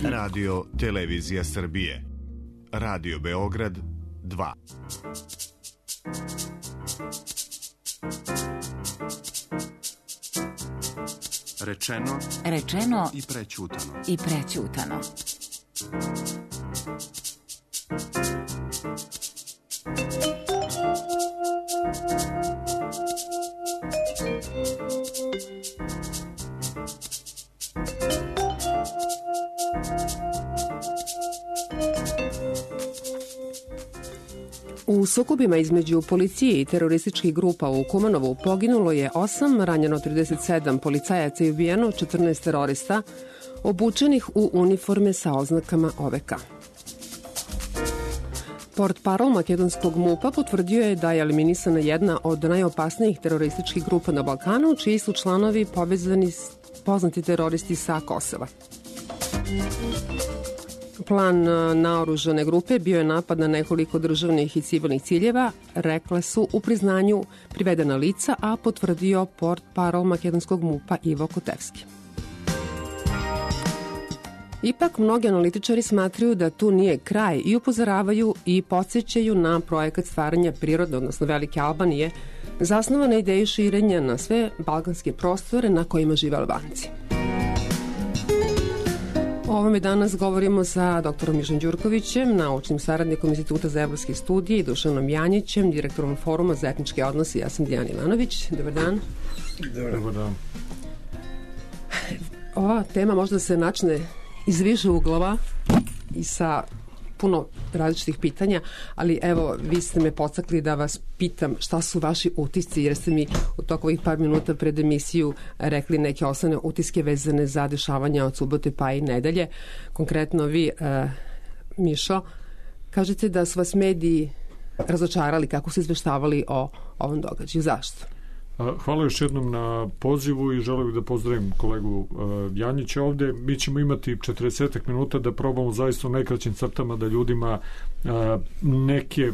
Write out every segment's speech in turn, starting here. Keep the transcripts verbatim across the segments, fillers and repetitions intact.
Radio Televizija Srbije. Radio Beograd dva. Rečeno, rečeno i prećutano. I prećutano. U sukobima između policije i terorističkih grupa u Kumanovu poginulo je osam, ranjeno trideset sedam policajaca i ubijeno četrnaest terorista obučenih u uniforme sa oznakama O V K. Portparol makedonskog MUP-a potvrdio je da je eliminisana jedna od najopasnijih terorističkih grupa na Balkanu, čiji su članovi povezani poznati teroristi sa Kosova. Plan naoružane grupe bio je napad na nekoliko državnih i civilnih ciljeva, rekle su u priznanju privedena lica, a potvrdio portparol makedonskog MUP-a Ivo Kotevski. Ipak, mnogi analitičari smatraju da tu nije kraj i upozoravaju i podsjećaju na projekat stvaranja prirodne, odnosno Velike Albanije, zasnovan na ideju širenja na sve balkanske prostore na kojima žive Albanci. O ovome danas govorimo sa doktorom Mišom Đurkovićem, naučnim saradnikom Instituta za evropske studije, i Dušanom Janjićem, direktorom Foruma za etničke odnose. Ja sam Dijana Ivanović. Dobar dan. Dobar dan. Ova tema možda se načne iz više uglova i sa puno različitih pitanja, ali evo, vi ste me podstakli da vas pitam šta su vaši utisci, jer ste mi u toku ovih par minuta pred emisiju rekli neke osnovne utiske vezane za dešavanja od subote pa i nedelje. Konkretno vi, uh, Mišo, kažete da su vas mediji razočarali kako su izveštavali o ovom događaju. Zašto? Hvala još jednom na pozivu i želim da pozdravim kolegu Janjića ovde. Mi ćemo imati četrdeset minuta da probamo zaista u najkraćim crtama da ljudima neke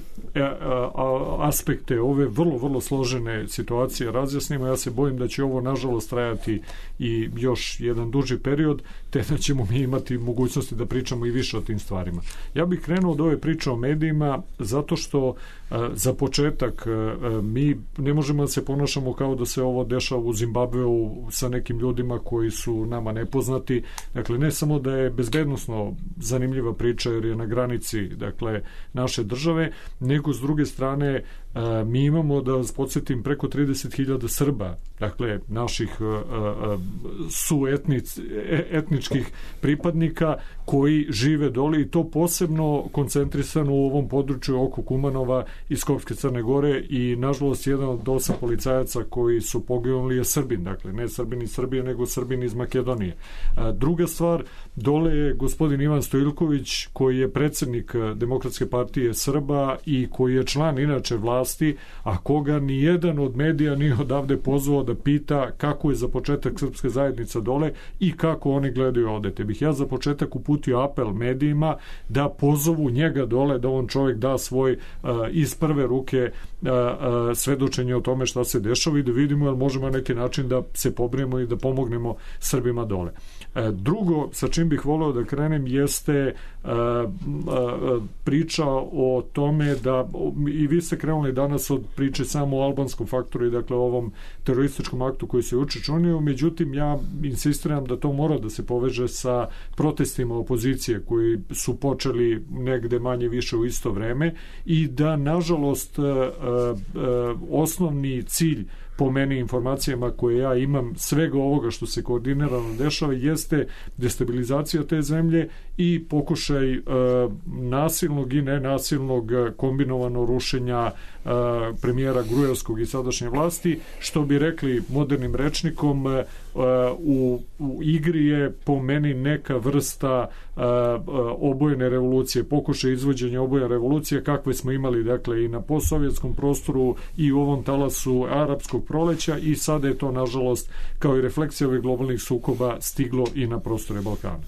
aspekte ove vrlo, vrlo složene situacije razjasnimo. Ja se bojim da će ovo nažalost trajati i još jedan duži period, te da ćemo mi imati mogućnosti da pričamo i više o tim stvarima. Ja bih krenuo od ove priče o medijima zato što za početak mi ne možemo da se ponašamo kao da se ovo dešava u Zimbabveu sa nekim ljudima koji su nama nepoznati. Dakle, ne samo da je bezbednosno zanimljiva priča jer je na granici, dakle, naše države, nego s druge strane mi imamo, da vas podsjetim, preko trideset hiljada Srba, dakle, naših suetničkih pripadnika koji žive dole, i to posebno koncentrisano u ovom području oko Kumanova i Skopske Crne Gore, i nažalost jedan od osam policajaca koji su poginuli je Srbin, dakle ne Srbin iz Srbije nego Srbin iz Makedonije. Druga stvar, dole je gospodin Ivan Stojiljković koji je predsednik Demokratske partije Srba i koji je član inače vlasti, a koga ni jedan od medija nije odavde pozvao da pita kako je za početak srpske zajednica dole i kako oni gledaju ovde. Te bih ja za početak uputio apel medijima da pozovu njega dole, da on čovjek da svoj uh, iz prve ruke uh, uh, svedočenje o tome šta se dešava i da vidimo jel možemo na neki način da se pobrinemo i da pomognemo Srbima dole. Uh, drugo, sa čim bih voleo da krenem, jeste uh, uh, priča o tome da, i vi ste krenuli danas od priče samo o albanskom faktoru i dakle o ovom terorističkom aktu koji se učinio, međutim ja insistiram da to mora da se poveže sa protestima opozicije koji su počeli negde manje više u isto vreme i da nažalost uh, uh, osnovni cilj po meni informacijama koje ja imam svega ovoga što se koordinirano dešava jeste destabilizacija te zemlje i pokušaj uh, nasilnog i nenasilnog kombinovano rušenja uh, premijera Gruevskog i sadašnje vlasti, što bi rekli modernim rečnikom, uh, u, u igri je po meni neka vrsta uh, obojene revolucije, pokušaj izvođenja obojene revolucije kakve smo imali dakle i na postsovjetskom prostoru i u ovom talasu arapskog proleća, i sada je to nažalost kao i refleksija ovih globalnih sukoba stiglo i na prostore Balkana.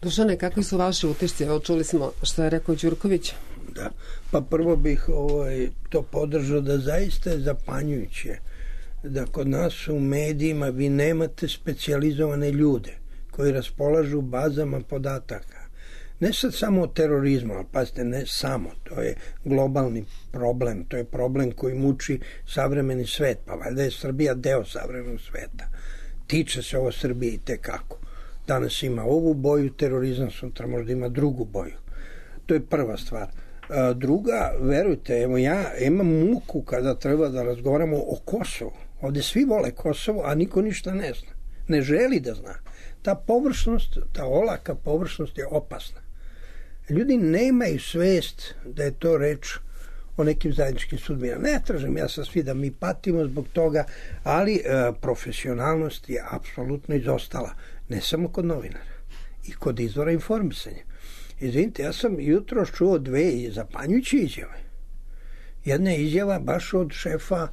Dušane, kakvi su vaši utisci? Evo, čuli smo što je rekao Đurković. Da, pa prvo bih ovaj, to podržao da zaista je zapanjujuće da kod nas u medijima vi nemate specijalizovane ljude koji raspolažu bazama podataka, ne sad samo o terorizmu, ali pazite, ne samo, to je globalni problem, to je problem koji muči savremeni svet, pa valjda je Srbija deo savremenog sveta. Tiče se ovo Srbije i tekako. Danas ima ovu boju, terorizam sutra možda ima drugu boju. To je prva stvar. A druga, verujte, evo ja imam muku kada treba da razgovaramo o Kosovu. Ovde svi vole Kosovo, a niko ništa ne zna. Ne želi da zna. Ta površnost, ta olaka površnost je opasna. Ljudi nemaju svest da je to reč o nekim zajedničkim sudbinama. Ne tražim ja sa svi da mi patimo zbog toga, ali e, profesionalnost je apsolutno izostala. Ne samo kod novinara, i kod izvora informisanja. Izvinite, ja sam jutro čuo dve zapanjujuće izjave. Jedna je izjava baš od šefa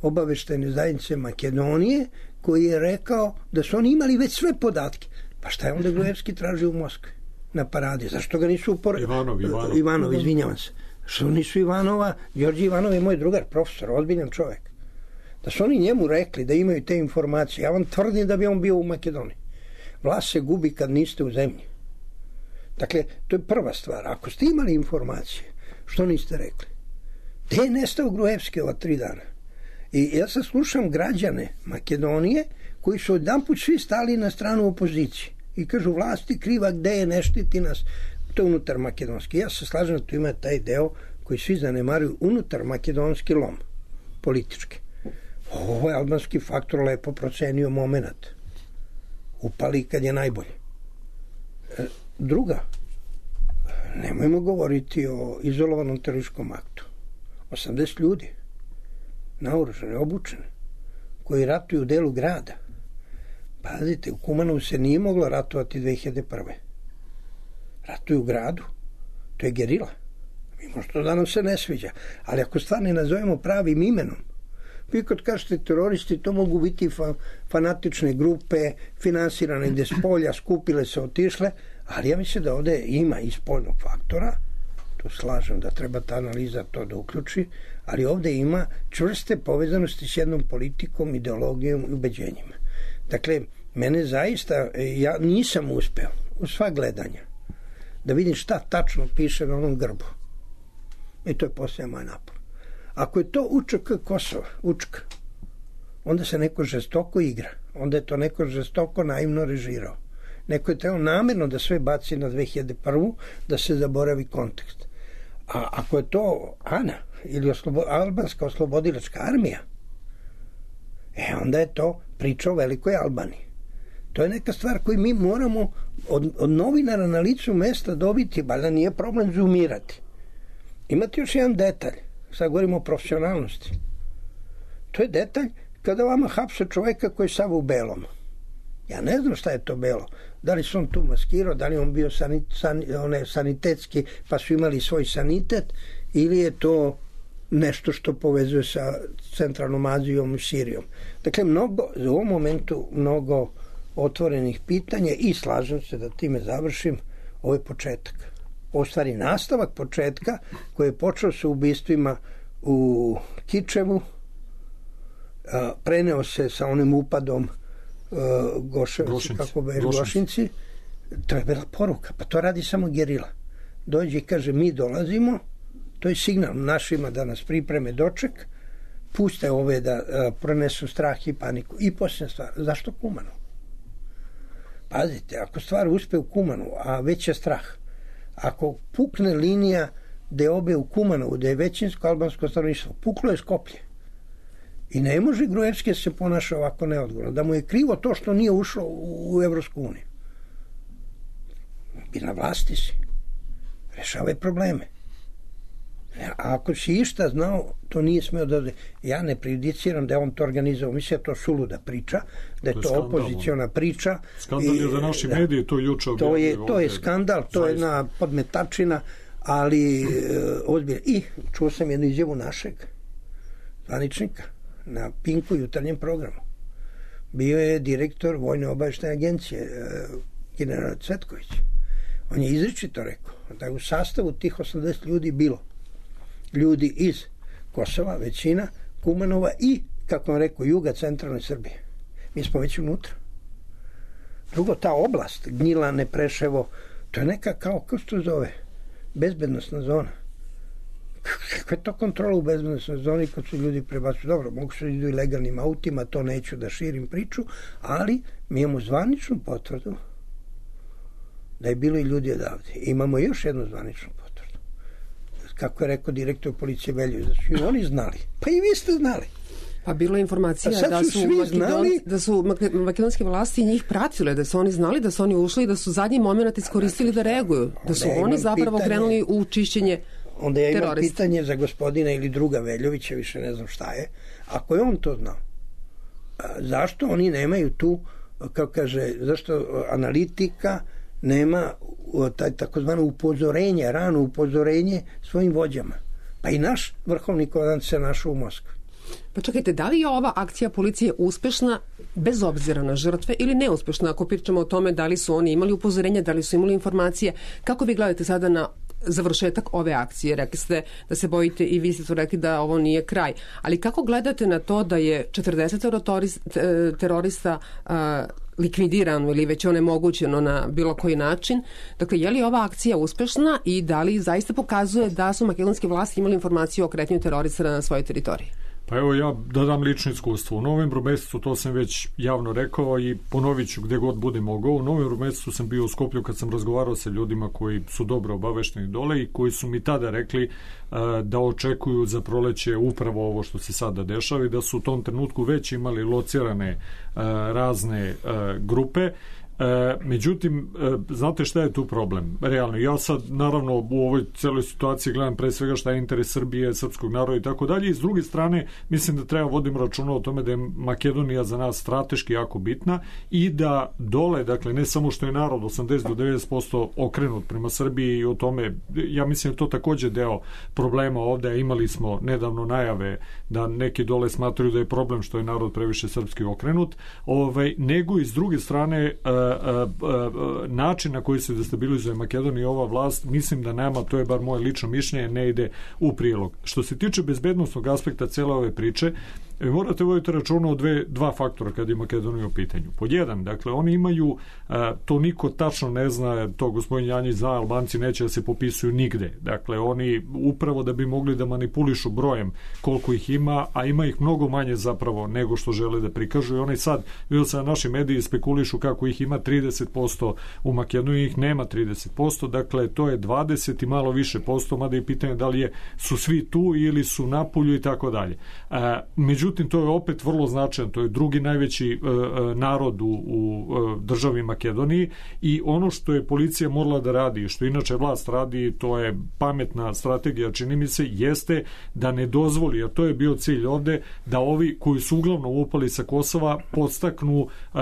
obaveštajne zajednice Makedonije, koji je rekao da su oni imali već sve podatke. Pa šta je onda Gruevski tražio u Moskvi na paradi? Zašto ga nisu upor... Ivanov, Ivanov. Ivanov, izvinjavam se. Što nisu Ivanova? Đorđe Ivanov je moj drugar, profesor, ozbiljan čovjek. Da su oni njemu rekli da imaju te informacije, ja vam tvrdim da bi on bio u Makedoniji. Vlast se gubi kad niste u zemlji. Dakle, to je prva stvar. Ako ste imali informacije, što niste rekli? Gde je nestao Gruevski ova tri dana? I ja sad slušam građane Makedonije koji su odjedanput svi stali na stranu opozicije i kažu vlasti kriva, gde je, ne štiti nas. To je unutar makedonski. Ja se slažem da tu ima taj deo koji svi zanemaruju, unutar makedonski lom, politički. Ovo je albanski faktor lepo procenio moment. Upali kad je najbolje. Druga, nemojmo govoriti o izolovanom terorističkom aktu. osamdeset ljudi, naoružane, obučene, koji ratuju u delu grada. Pazite, u Kumanovu se nije moglo ratovati dve hiljade prve. Ratuju u gradu. To je gerila. Mi možda da nam se ne sviđa. Ali ako stvar ne nazovemo pravim imenom, vi kad kažete teroristi, to mogu biti fa fanatične grupe, finansirane gde s polja, skupile se, otišle, ali ja mislim da ovde ima i spoljnog faktora, to slažem da treba ta analiza to da uključi, ali ovde ima čvrste povezanosti s jednom politikom, ideologijom i ubeđenjima. Dakle, mene zaista, ja nisam uspeo u sva gledanja da vidim šta tačno piše na onom grbu. I to je poslije moj napor. Ako je to U Č K Kosova, U Č K, onda se neko žestoko igra. Onda je to neko žestoko naivno režirao. Neko je trebao namjerno da sve baci na dve hiljade prvu, da se zaboravi kontekst. A ako je to ANA ili oslobo, albanska oslobodilačka armija, e onda je to priča o velikoj Albaniji. To je neka stvar koju mi moramo od, od novinara na licu mesta dobiti, valjda nije problem zoomirati. Imate još jedan detalj, sad govorimo o profesionalnosti. To je detalj kada vama hapse čoveka koji je sav u belom. Ja ne znam šta je to belo. Da li su on tu maskirao, da li on bio sanit, san, one, sanitetski, pa su imali svoj sanitet, ili je to nešto što povezuje sa centralnom Azijom i Sirijom. Dakle, mnogo, u ovom momentu mnogo otvorenih pitanja i slažem se da time završim, ovo je početak. Ovo stvari nastavak početka koji je počeo sa ubistvima u Kičevu, preneo se sa onim upadom Goševci, kako be, Gošinci. To je bila poruka, pa to radi samo gerila. Dođe i kaže mi dolazimo, to je signal našima da nas pripreme doček, puste ove da uh, pronesu strah i paniku. I posljednja stvar, zašto Kumanovo? Pazite, ako stvar uspe u Kumanovu, a već je strah, ako pukne linija gde obe u Kumanovu, gde je većinsko albansko stanovništvo, puklo je Skoplje. I ne može Gruevski se ponaša ovako neodgovorno. Da mu je krivo to što nije ušlo u Evropsku uniju. I na vlasti si. Rešavaj probleme. A ako si išta znao, to nije smeo da... Ja ne prejudiciram da je on to organizao. Mislim da to suluda priča, da je to, to opoziciona priča. Skandal je za naši da, mediji, to juče to je To je skandal, to je jedna podmetačina, ali e, ozbiljno. I čuo sam jednu izjavu našeg zvaničnika na Pinku jutarnjem programu. Bio je direktor Vojne obavještajne agencije, e, general Cvetković. On je izričito rekao da je u sastavu tih osamdeset ljudi bilo ljudi iz Kosova, većina, Kumanova i, kako vam rekao, juga centralne Srbije. Mi smo već unutra. Drugo, ta oblast, Gnjilane, Preševo, to je neka kao, kako se to zove, bezbednostna zona. Kakva je to kontrola u bezbednostnoj zoni kad su ljudi prebacuju? Dobro, mogu se idu i legalnim autima, to neću da širim priču, ali mi imamo zvaničnu potvrdu da je bilo i ljudi odavde. Imamo još jednu zvaničnu potvrdu. Kako je rekao direktor policije Veljović, da su i oni znali. Pa i vi ste znali. Pa bilo je informacija da su, Makedon, znali... da su makedonske vlasti njih pratile, da su oni znali da su oni ušli i da su zadnji moment iskoristili da reaguju. Da su oni zapravo pitanje, krenuli u čišćenje terorista. Onda ja imam terorista. Pitanje za gospodina ili druga Veljovića, više ne znam šta je. Ako je on to znao, zašto oni nemaju tu, kao kaže, zašto analitika nema taj takozvano upozorenje, rano upozorenje svojim vođama? Pa i naš vrhovni komandant se našao u Moskvi. Pa čekajte, da li je ova akcija policije uspešna bez obzira na žrtve ili neuspešna? Ako pričamo o tome da li su oni imali upozorenja, da li su imali informacije, kako vi gledate sada na završetak ove akcije? Rekli ste da se bojite i vi ste to rekli da ovo nije kraj. Ali kako gledate na to da je četrdeset terorista uh, likvidirano ili već onemogućeno na bilo koji način? Dakle, je li ova akcija uspešna i da li zaista pokazuje da su makedonske vlasti imali informaciju o kretanju terorista na svojoj teritoriji? Pa evo ja da dam lično iskustvo. U novembru mesecu, to sam već javno rekao i ponovit ću gde god bude mogao, u novembru mesecu sam bio u Skoplju kad sam razgovarao sa ljudima koji su dobro obavešteni dole i koji su mi tada rekli uh, da očekuju za proleće upravo ovo što se sada dešava i da su u tom trenutku već imali locirane uh, razne uh, grupe. E, međutim, e, znate šta je tu problem? Realno, ja sad naravno u ovoj celoj situaciji gledam pre svega šta je interes Srbije, srpskog naroda i tako dalje i s druge strane mislim da treba vodimo računa o tome da je Makedonija za nas strateški jako bitna i da dole, dakle ne samo što je narod osamdeset do devedeset posto okrenut prema Srbiji i o tome, ja mislim da to takođe deo problema ovde, imali smo nedavno najave da neki dole smatraju da je problem što je narod previše srpski okrenut, ovaj, nego i s druge strane e, način na koji se destabilizuje Makedonija i ova vlast, mislim da nama, to je bar moje lično mišljenje, ne ide u prilog. Što se tiče bezbednostnog aspekta cele ove priče, vi morate voditi računa o dve, dva faktora kad je Makedonija u pitanju. Pod jedan, dakle, oni imaju, a, to niko tačno ne zna, to gospodin Janjić zna, Albanci neće da se popisuju nigde. Dakle, oni upravo da bi mogli da manipulišu brojem koliko ih ima, a ima ih mnogo manje zapravo nego što žele da prikažu i oni sad, vidio sam na naši mediji spekulišu kako ih ima trideset posto u Makedoniji, ih nema trideset posto, dakle, to je dvadeset i malo više posto, mada je pitanje da li je, su svi tu ili su napolju i tako dalje. Međutim, Međutim, to je opet vrlo značajno, to je drugi najveći e, narod u, u e, državi Makedoniji i ono što je policija morala da radi, što inače vlast radi, to je pametna strategija, čini mi se, jeste da ne dozvoli, a to je bio cilj ovde, da ovi koji su uglavnom upali sa Kosova podstaknu e,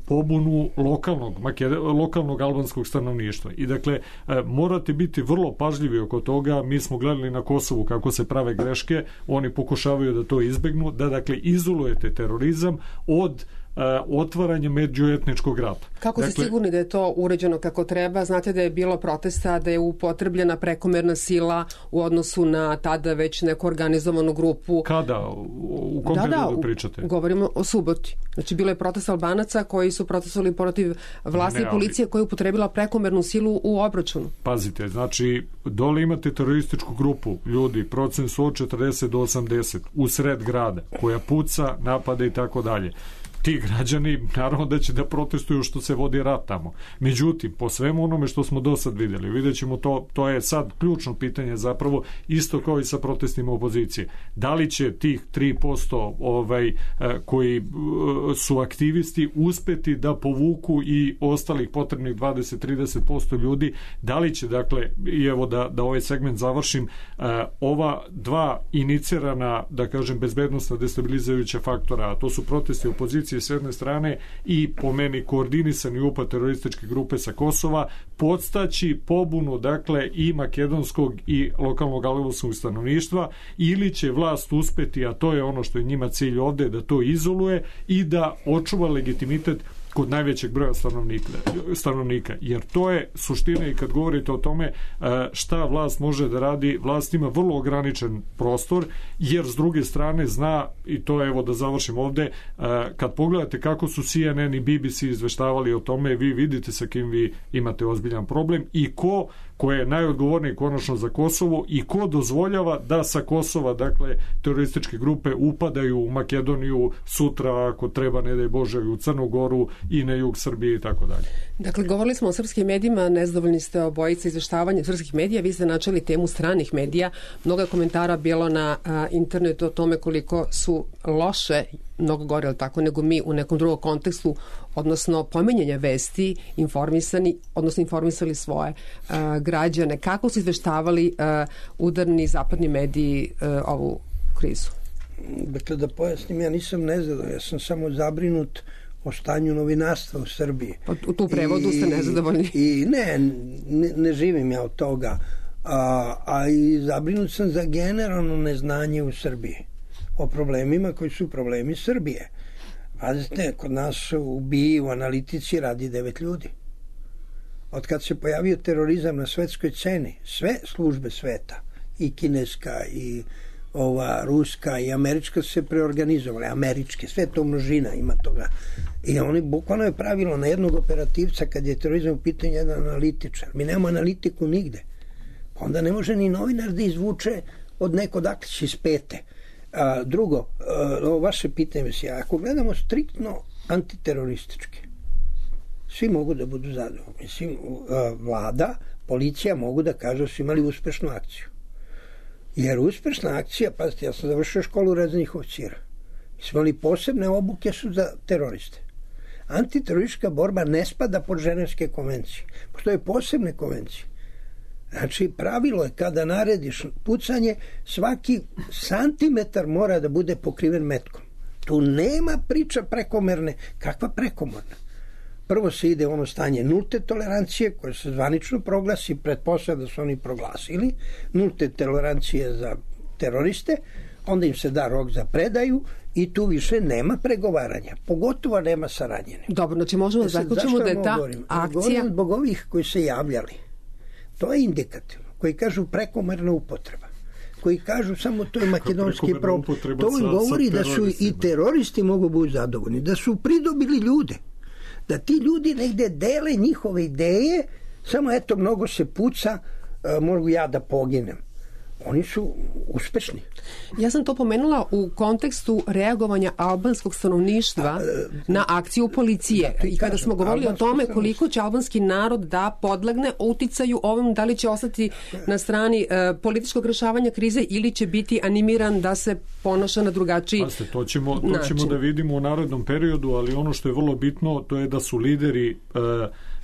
pobunu lokalnog, Makedon, lokalnog albanskog stanovništva. I dakle, e, morate biti vrlo pažljivi oko toga, mi smo gledali na Kosovu kako se prave greške, oni pokušavaju da to izbegnu, da dakle izolujete terorizam od uh, otvaranja međuetničkog rata. Kako dakle, ste sigurni da je to uređeno kako treba? Znate da je bilo protesta, da je upotrebljena prekomerna sila u odnosu na tada već neku organizovanu grupu. Kada? U kom da, periodu da, pričate? Govorimo o suboti. Znači, bilo je protest Albanaca koji su protestovali protiv vlasti i policije koja je upotrebila prekomernu silu u obračunu. Pazite, znači, dole imate terorističku grupu ljudi, procent su od četrdeset do osamdeset u sred grada, koja puca, napada i tako dalje. Ti građani, naravno da će da protestuju što se vodi rat tamo. Međutim, po svemu onome što smo do sad videli, vidjet ćemo to, to je sad ključno pitanje zapravo, isto kao i sa protestima opozicije. Da li će tih tri posto ovaj, koji su aktivisti uspeti da povuku i ostalih potrebnih dvadeset do trideset posto ljudi, da li će, dakle, i evo da, da ovaj segment završim, ova dva inicirana, da kažem, bezbednostna destabilizujuća faktora, a to su protesti opozicije s jedne strane i po meni koordinisani upad terorističke grupe sa Kosova, podstaći pobunu, dakle, i makedonskog i lokalnog albanskog stanovništva, ili će vlast uspeti, a to je ono što je njima cilj ovde, da to izoluje i da očuva legitimitet kod najvećeg broja stanovnika, stanovnika. Jer to je suština i kad govorite o tome šta vlast može da radi, vlast ima vrlo ograničen prostor, jer s druge strane zna, i to evo da završim ovde, kad pogledate kako su C N N i B B C izveštavali o tome, vi vidite sa kim vi imate ozbiljan problem i ko ko je najodgovorniji konačno za Kosovo i ko dozvoljava da sa Kosova, dakle, terorističke grupe upadaju u Makedoniju sutra, ako treba, ne daj Bože, u Crnu Goru i na jug Srbije i tako dalje. Dakle, govorili smo o srpskim medijima, nezadovoljni ste obojica izveštavanja srpskih medija, vi ste načeli temu stranih medija, mnogo komentara bilo na a, internetu o tome koliko su loše, mnogo gore, ali tako, nego mi u nekom drugom kontekstu, odnosno pomenjanja vesti, informisani, odnosno informisali svoje a, građane. Kako su izveštavali a, udarni zapadni mediji a, ovu krizu? Dakle, da pojasnim, ja nisam nezadovoljan, ja sam samo zabrinut o stanju novinarstva u Srbiji. U tu prevodu I, ste nezadovoljni? I ne, ne, ne živim ja od toga, a, a i zabrinut sam za generalno neznanje u Srbiji o problemima koji su problemi Srbije. Pazite, kod nas u B I u analitici radi devet ljudi. Od kad se pojavio terorizam na svetskoj sceni, sve službe sveta, i kineska, i ova ruska i američka se preorganizovale, američke, sve to množina ima toga. I oni bukvalno je pravilo na jednog operativca kad je terorizam u pitanju jedan analitičar. Mi nemamo analitiku nigde. Onda ne može ni novinar da izvuče od neko dakle iz pete. A, drugo, a, ovo vaše pitanje se, ako gledamo striktno antiteroristički, svi mogu da budu zadovoljni. Mislim, a, vlada, policija mogu da kažu da su imali uspešnu akciju. Jer uspešna akcija, pazite, ja sam završio školu rezervnih oficira. Mi smo imali posebne obuke su za teroriste. Antiteroristička borba ne spada pod ženevske konvencije. Postoje posebne konvencije. Znači, pravilo je kada narediš pucanje, svaki santimetar mora da bude pokriven metkom. Tu nema priča prekomerne. Kakva prekomorna? Prvo se ide u ono stanje nulte tolerancije, koje se zvanično proglasi, pretpostavlja da su oni proglasili, nulte tolerancije za teroriste, onda im se da rok za predaju i tu više nema pregovaranja, pogotovo nema saradnje. Dobro, znači možemo da zaključimo da je ta govorim? akcija... Govorim zbog ovih koji se javljali. To je indikativno, koji kažu prekomerna upotreba, koji kažu samo to je makedonski problem. To im govori da su i teroristi mogu biti zadovoljni, da su pridobili ljude, da ti ljudi negde dele njihove ideje, samo eto mnogo se puca, mogu ja da poginem. Oni su uspešni. Ja sam to pomenula u kontekstu reagovanja albanskog stanovništva na akciju policije. I kada smo govorili o tome koliko će albanski narod da podlegne uticaju ovom, da li će ostati na strani uh, političkog rešavanja krize ili će biti animiran da se ponaša na drugačiji Paste, to ćemo, to ćemo da vidimo u narednom periodu, ali ono što je vrlo bitno, to je da su lideri uh,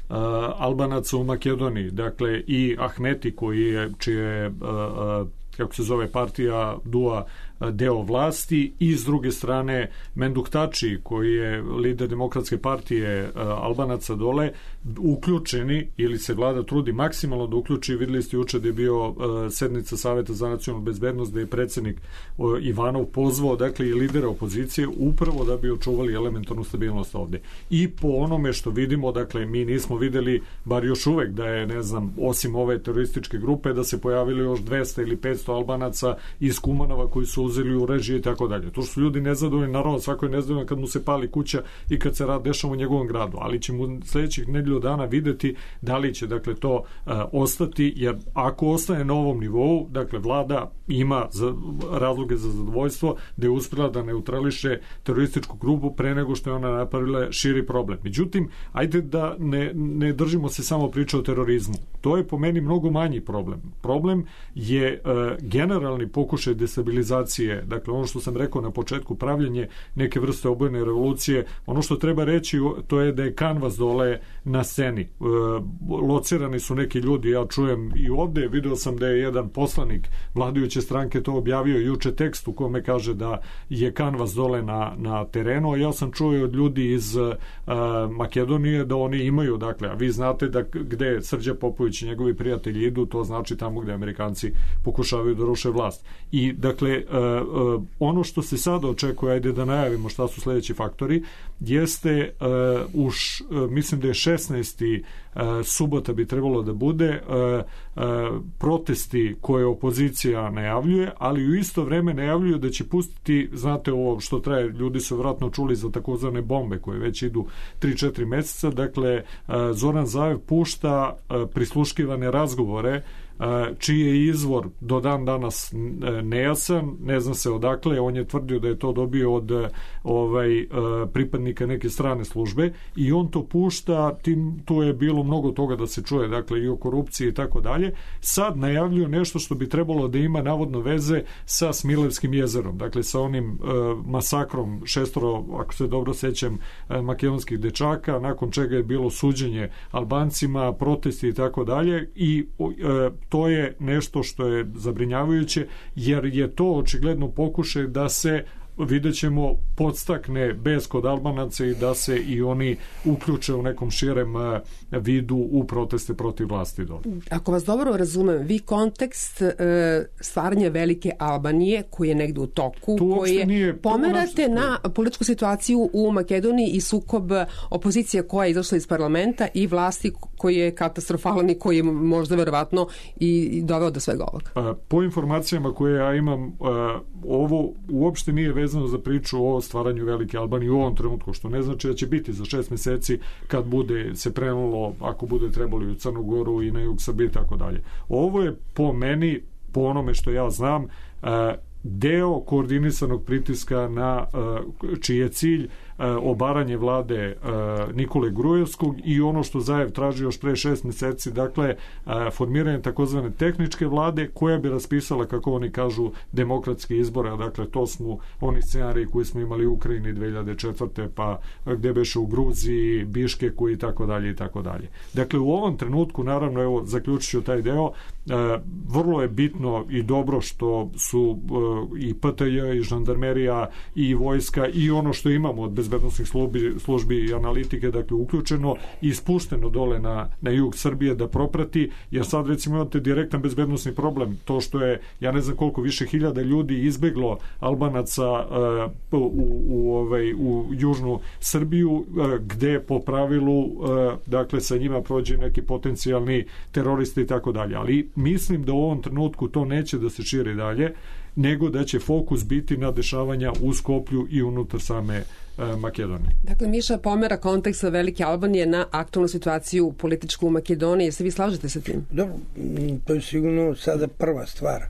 Uh, Albanaca u Makedoniji, dakle i Ahmeti koji je, čije uh, uh, kako se zove partija Dua deo vlasti i s druge strane Menduktači koji je lider demokratske partije uh, Albanaca dole, uključeni ili se vlada trudi maksimalno da uključi. Videli ste juče da je bio uh, sednica Saveta za nacionalnu bezbednost, da je predsjednik uh, Ivanov pozvao dakle i lidera opozicije upravo da bi očuvali elementarnu stabilnost ovde. I po onome što vidimo, dakle mi nismo videli bar još uvek da je, ne znam, osim ove terorističke grupe da se pojavili još dvesta ili petsto Albanaca iz Kumanova koji su uzeli u režije i tako dalje. To što su ljudi nezadovoljni, naravno svako je nezadovoljan kad mu se pali kuća i kad se rad dešava u njegovom gradu, ali ćemo sledećih nedelju dana videti da li će dakle to uh, ostati, jer ako ostane na ovom nivou, dakle vlada ima za, razloge za zadovoljstvo da je uspela da neutrališe terorističku grupu pre nego što je ona napravila širi problem. Međutim, ajde da ne, ne držimo se samo priče o terorizmu. To je po meni mnogo manji problem. Problem je uh, generalni pokušaj destabilizacije, dakle ono što sam rekao na početku, pravljenje neke vrste obojene revolucije. Ono što treba reći, to je da je kanvas dole na sceni. E, locirani su neki ljudi, ja čujem i ovde, video sam da je jedan poslanik vladajuće stranke to objavio juče tekst u kome kaže da je kanvas dole na, na terenu, a ja sam čuo od ljudi iz e, Makedonije da oni imaju, dakle, a vi znate da gde Srđa Popović Izetbegović i njegovi prijatelji idu, to znači tamo gde Amerikanci pokušavaju da ruše vlast. I dakle, ono što se sada očekuje, ajde da najavimo šta su sledeći faktori, jeste už, mislim da je šesnaesti subota bi trebalo da bude protesti koje opozicija najavljuje, ali u isto vreme najavljuju da će pustiti, znate ovo što traje, ljudi su vratno čuli za takozvane bombe koje već idu tri četiri meseca, dakle Zoran Zaev pušta prisluškivane razgovore čiji je izvor do dan danas nejasan, ne zna se odakle, on je tvrdio da je to dobio od ovaj pripadnika neke strane službe i on to pušta, tim, tu je bilo mnogo toga da se čuje, dakle i o korupciji i tako dalje. Sad najavljuju nešto što bi trebalo da ima navodno veze sa Smilevskim jezerom, dakle sa onim uh, masakrom šestoro, ako se dobro sećam, uh, makedonskih dečaka, nakon čega je bilo suđenje Albancima, protesti i tako dalje i uh, to je nešto što je zabrinjavajuće, jer je to očigledno pokušaj da se, vidjet ćemo, podstakne bes kod Albanaca i da se i oni uključe u nekom širem vidu u proteste protiv vlasti. Ako vas dobro razumem, vi kontekst e, stvaranja velike Albanije koji je negde u toku, koji je pomerate na političku situaciju u Makedoniji i sukob opozicije koja je izašla iz parlamenta i vlasti koji je katastrofalan i koji je možda verovatno i doveo do svega ovoga. Po informacijama koje ja imam, ovo uopšte nije vezano za priču o stvaranju velike Albanije u ovom trenutku, što ne znači da će biti za šest meseci kad bude se prenulo, ako bude trebalo i u Crnu Goru i na jug Srbije i tako dalje. Ovo je po meni, po onome što ja znam, deo koordinisanog pritiska na čiji je cilj obaranje vlade Nikole Grujevskog i ono što Zaev traži još pre šest meseci, dakle formiranje takozvane tehničke vlade koja bi raspisala, kako oni kažu, demokratske izbore, dakle to smo oni scenariji koji smo imali u Ukrajini dve hiljade četvrte pa gde beše u Gruziji, Biškeku i tako dalje i tako dalje. Dakle u ovom trenutku, naravno, evo zaključit ću taj deo, vrlo je bitno i dobro što su i P T J i žandarmerija i vojska i ono što imamo od bezbednosnih službi, službi i analitike, dakle uključeno i ispušteno dole na, na jug Srbije da proprati, jer sad recimo imate direktan bezbednosni problem, to što je, ja ne znam koliko, više hiljada ljudi izbeglo Albanaca uh, u, u, ovaj, u južnu Srbiju, uh, gde po pravilu uh, dakle sa njima prođe neki potencijalni teroristi i tako dalje, ali mislim da u ovom trenutku to neće da se širi dalje, nego da će fokus biti na dešavanja u Skoplju i unutar same e, Makedonije. Dakle, Miša pomera konteksta velike Albanije na aktualnu situaciju političku u Makedoniji. Jeste vi slažete sa tim? Dobro, to je sigurno sada prva stvar.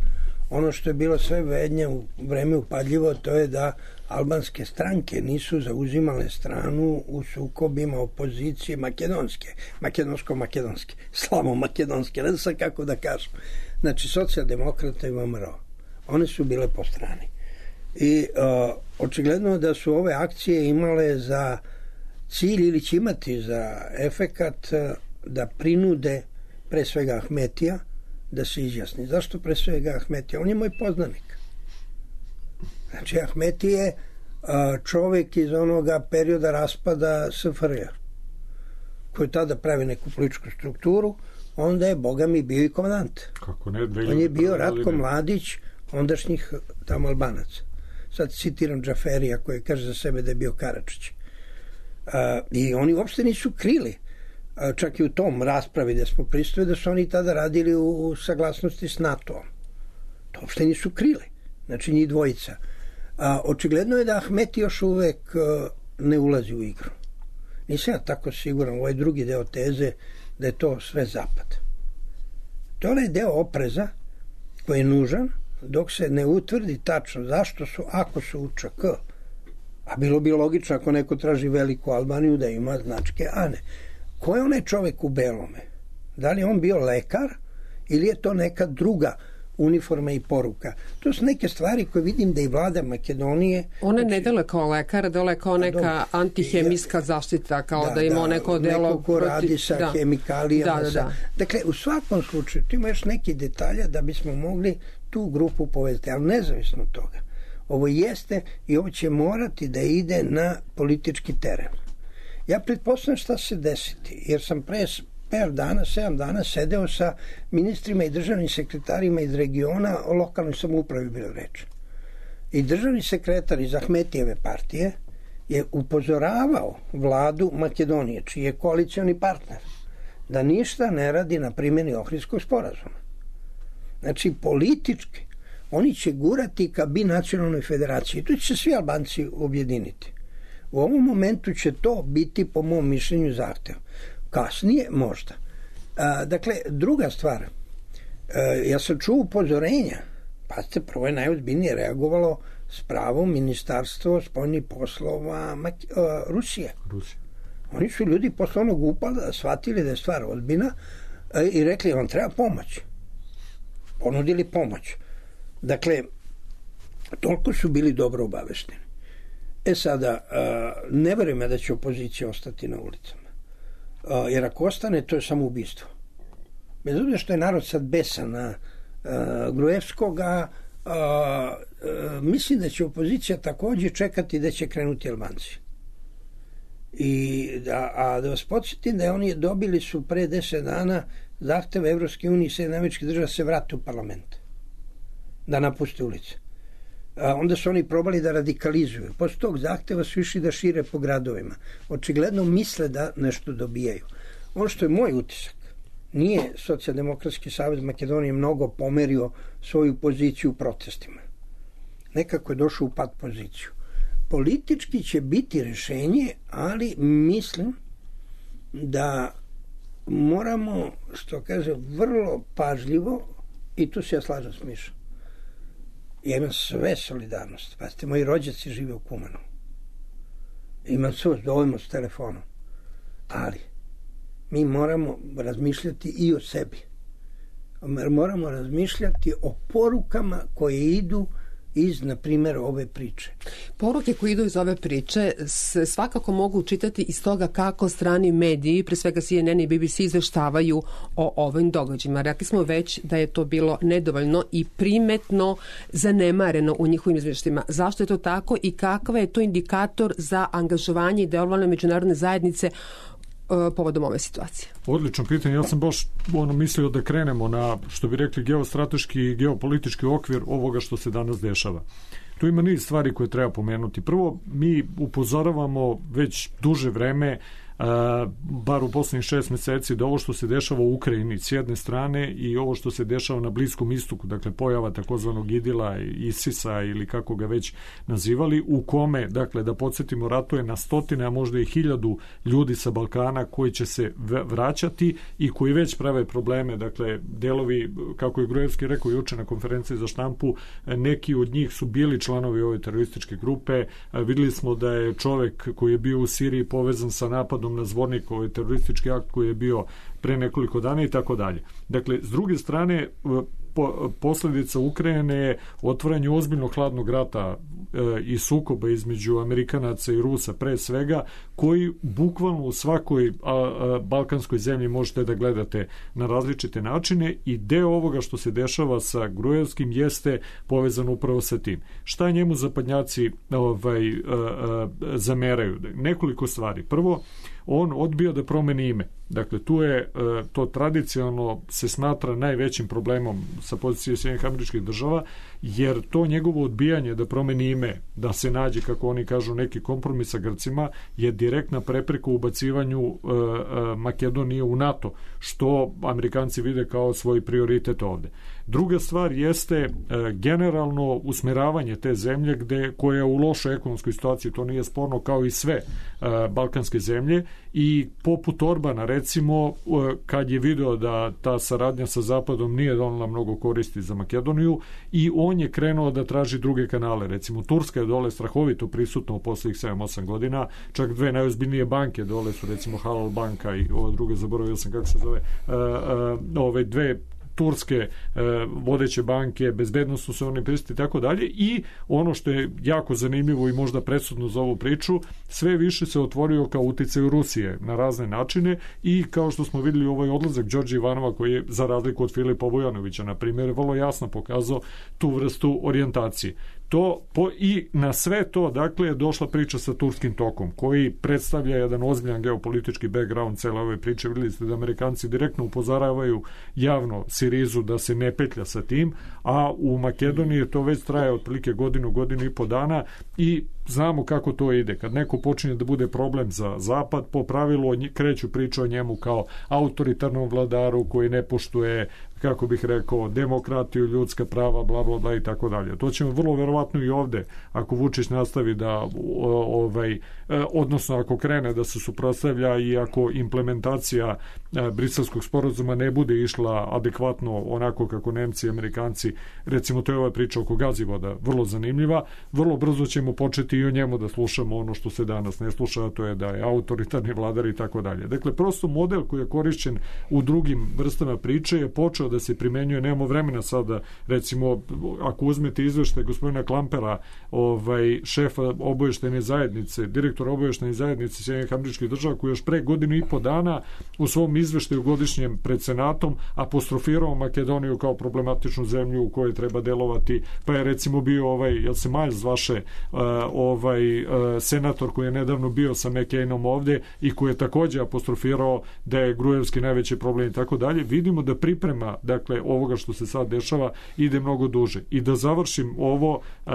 Ono što je bilo sve vednje u vreme upadljivo, to je da albanske stranke nisu zauzimale stranu u sukobima opozicije makedonske, makedonsko-makedonske, slavo-makedonske, ne znam kako da kažem. Znači, socijaldemokrata i V M R O. One su bile po strani. I uh, očigledno da su ove akcije imale za cilj ili će imati za efekat uh, da prinude pre svega Ahmetija da se izjasni. Zašto pre svega Ahmetija? On je moj poznanik. Znači, Ahmeti je uh, čovjek iz onoga perioda raspada S F R J koji tada pravi neku političku strukturu, onda je, boga mi, bio i komandant. Kako ne, on je bio Ratko Mladić, ondašnjih tamo Albanaca. Sad citiram Džaferija koji kaže za sebe da je bio Karadžić. Uh, I oni uopšte nisu krili, uh, čak i u tom raspravi da smo pristojili, da su oni tada radili u, u saglasnosti s NATO-om. To uopšte nisu krili. Znači njih dvojica. Uh, očigledno je da Ahmeti još uvek uh, ne ulazi u igru. Nisam ja tako siguran, ovaj drugi deo teze da je to sve zapad. To je onaj deo opreza koji je nužan dok se ne utvrdi tačno zašto su, ako su u Č K, a bilo bi logično ako neko traži veliku Albaniju da ima značke Ane. Ko je onaj čovjek u belome? Da li je on bio lekar ili je to neka druga uniforma i poruka? To su neke stvari koje vidim da i vlada Makedonije... One ne dele kao lekar, dele kao neka antihemijska zaštita, kao da, da ima neko delo... Neko ko radi sa da. hemikalijama. Da, da, da. Dakle, u svakom slučaju, tu ima još neki detalja da bismo mogli tu grupu povezati, ali nezavisno od toga. Ovo jeste i ovo će morati da ide na politički teren. Ja pretpostavljam šta se desiti, jer sam pre pet dana, sedam dana sedeo sa ministrima i državnim sekretarima iz regiona, o lokalnoj samoupravi bilo reč. I državni sekretar iz Ahmetijeve partije je upozoravao vladu Makedonije, čiji je koalicioni partner, da ništa ne radi na primjeni Ohridskog sporazuma. Znači, politički, oni će gurati ka binacionalnoj federaciji. Tu će se svi Albanci objediniti. U ovom momentu će to biti, po mom mišljenju, zahtev. Kasnije, možda. A, dakle, druga stvar, a, ja sam čuo upozorenja, pazite, prvo je najozbiljnije reagovalo s pravom Ministarstvo spoljnih poslova Maki, a, Rusije. Rusije. Oni su ljudi posle onog upada shvatili da je stvar ozbiljna a, i rekli, vam treba pomoć. Ponudili pomoć. Dakle, toliko su bili dobro obavešteni. E sada, ne verujem da će opozicija ostati na ulicama. Jer ako ostane, to je samo ubistvo. Bez obzira što je narod sad besan na Gruevskoga, mislim da će opozicija također čekati da će krenuti Albanci. I da, a da vas podsjetim da je oni dobili su pre deset dana zahtev Evropske unije i Sjedinjenih Američkih Država se vrate u parlament. Da napuste ulice. A onda su oni probali da radikalizuju. Posle tog zahteva su išli da šire po gradovima. Očigledno misle da nešto dobijaju. Ono što je moj utisak, nije Socijaldemokratski savez Makedonije mnogo pomerio svoju poziciju u protestima. Nekako je došao u pad poziciju. Politički će biti rešenje, ali mislim da moramo, što kaže, vrlo pažljivo, i tu se ja slažem s Mišom, ja imam sve solidarnost. Pazite, moji rođaci žive u Kumanu. Imam sve dovoljno s telefonom. Ali mi moramo razmišljati i o sebi. Moramo razmišljati o porukama koje idu iz, na primjer, ove priče. Poruke koje idu iz ove priče se svakako mogu čitati iz toga kako strani mediji, pre svega C N N i B B C, izveštavaju o ovim događajima. Rekli smo već da je to bilo nedovoljno i primetno zanemareno u njihovim izveštima. Zašto je to tako i kakav je to indikator za angažovanje i delovanje međunarodne zajednice povodom ove situacije? Odlično pitanje. Ja sam baš ono mislio da krenemo na, što bi rekli, geostrateški i geopolitički okvir ovoga što se danas dešava. Tu ima niz stvari koje treba pomenuti. Prvo, mi upozoravamo već duže vreme, Uh, bar u poslednjih šest meseci, da ovo što se dešava u Ukrajini s jedne strane i ovo što se dešava na Bliskom istoku, dakle pojava takozvanog Idila, Isisa ili kako ga već nazivali, u kome, dakle, da podsjetimo, ratuje na stotine, a možda i hiljadu ljudi sa Balkana koji će se vraćati i koji već prave probleme, dakle, delovi, kako je Gruevski rekao juče na konferenciji za štampu, neki od njih su bili članovi ove terorističke grupe. Videli smo da je čovek koji je bio u Siriji povezan sa napadom na Zvornik, ovaj teroristički akt koji je bio pre nekoliko dana i tako dalje. Dakle, s druge strane, po, posljedica Ukrajine je otvaranje ozbiljnog hladnog rata e, i sukoba između Amerikanaca i Rusa pre svega, koji bukvalno u svakoj a, a, balkanskoj zemlji možete da gledate na različite načine i deo ovoga što se dešava sa Gruevskim jeste povezano upravo sa tim. Šta njemu zapadnjaci ovaj, a, a, zameraju? Nekoliko stvari. Prvo, on odbija da promeni ime. Dakle, tu je to tradicionalno se smatra najvećim problemom sa pozicije Sjedinjenih Američkih Država, jer to njegovo odbijanje da promeni ime, da se nađe, kako oni kažu, neki kompromis sa Grcima, je direktna prepreka u ubacivanju Makedonije u NATO, što Amerikanci vide kao svoj prioritet ovde. Druga stvar jeste generalno usmeravanje te zemlje gde, koja je u lošoj ekonomskoj situaciji, to nije sporno, kao i sve balkanske zemlje, i poput Orbana, recimo, kad je video da ta saradnja sa Zapadom nije donela mnogo koristi za Makedoniju, i on je krenuo da traži druge kanale. Recimo, Turska je dole strahovito prisutna u poslednjih sedam osam godina, čak dve najozbiljnije banke dole su, recimo Halal banka i ova druga, zaboravio sam kako se zove, ove dve turske e, vodeće banke, bezbednostno se oni pristati i tako dalje, i ono što je jako zanimljivo i možda presudno za ovu priču, sve više se otvorio kao uticaj u Rusije na razne načine, i kao što smo videli ovaj odlazak Đorđe Ivanova, koji je, za razliku od Filipa Vujanovića, na primjer, vrlo jasno pokazao tu vrstu orijentacije. To po, i na sve to, dakle, je došla priča sa Turskim tokom, koji predstavlja jedan ozbiljan geopolitički background cele ove priče. Vidjeli ste da Amerikanci direktno upozoravaju javno Sirizu da se ne petlja sa tim, a u Makedoniji to već traje otprilike godinu, godinu i po dana i znamo kako to ide. Kad neko počinje da bude problem za Zapad, po pravilu kreću priču o njemu kao autoritarnom vladaru koji ne poštuje, kako bih rekao, demokratiju, ljudska prava, bla, bla, bla i tako dalje. To ćemo vrlo verovatno i ovde, ako Vučić nastavi da, ovaj, odnosno ako krene da se suprotstavlja i ako implementacija Briselskog sporazuma ne bude išla adekvatno onako kako Nemci i Amerikanci, recimo to je ova priča oko Gazivoda, vrlo zanimljiva, vrlo brzo ćemo početi i o njemu da slušamo ono što se danas ne sluša, a to je da je autoritarni vladar i tako dalje. Dakle, prosto model koji je korišćen u drugim vrstama priče je počeo da se primenjuje, nemamo vremena sada, recimo, ako uzmete izveštaj gospodina Klampera, ovaj, šefa oboještene zajednice, direktora oboještene zajednice Sjedinjenih Američkih Država, koji još pre godinu i po dana u svom izveštaju godišnjem pred Senatom apostrofirao Makedoniju kao problematičnu zemlju u kojoj treba delovati, pa je recimo bio ovaj, jel se Miles zvaše, uh, ovaj uh, senator koji je nedavno bio sa McCainom ovde i koji je takođe apostrofirao da je Grujevski najveći problem i tako dalje. Vidimo da priprema, dakle, ovoga što se sad dešava ide mnogo duže. I da završim ovo uh,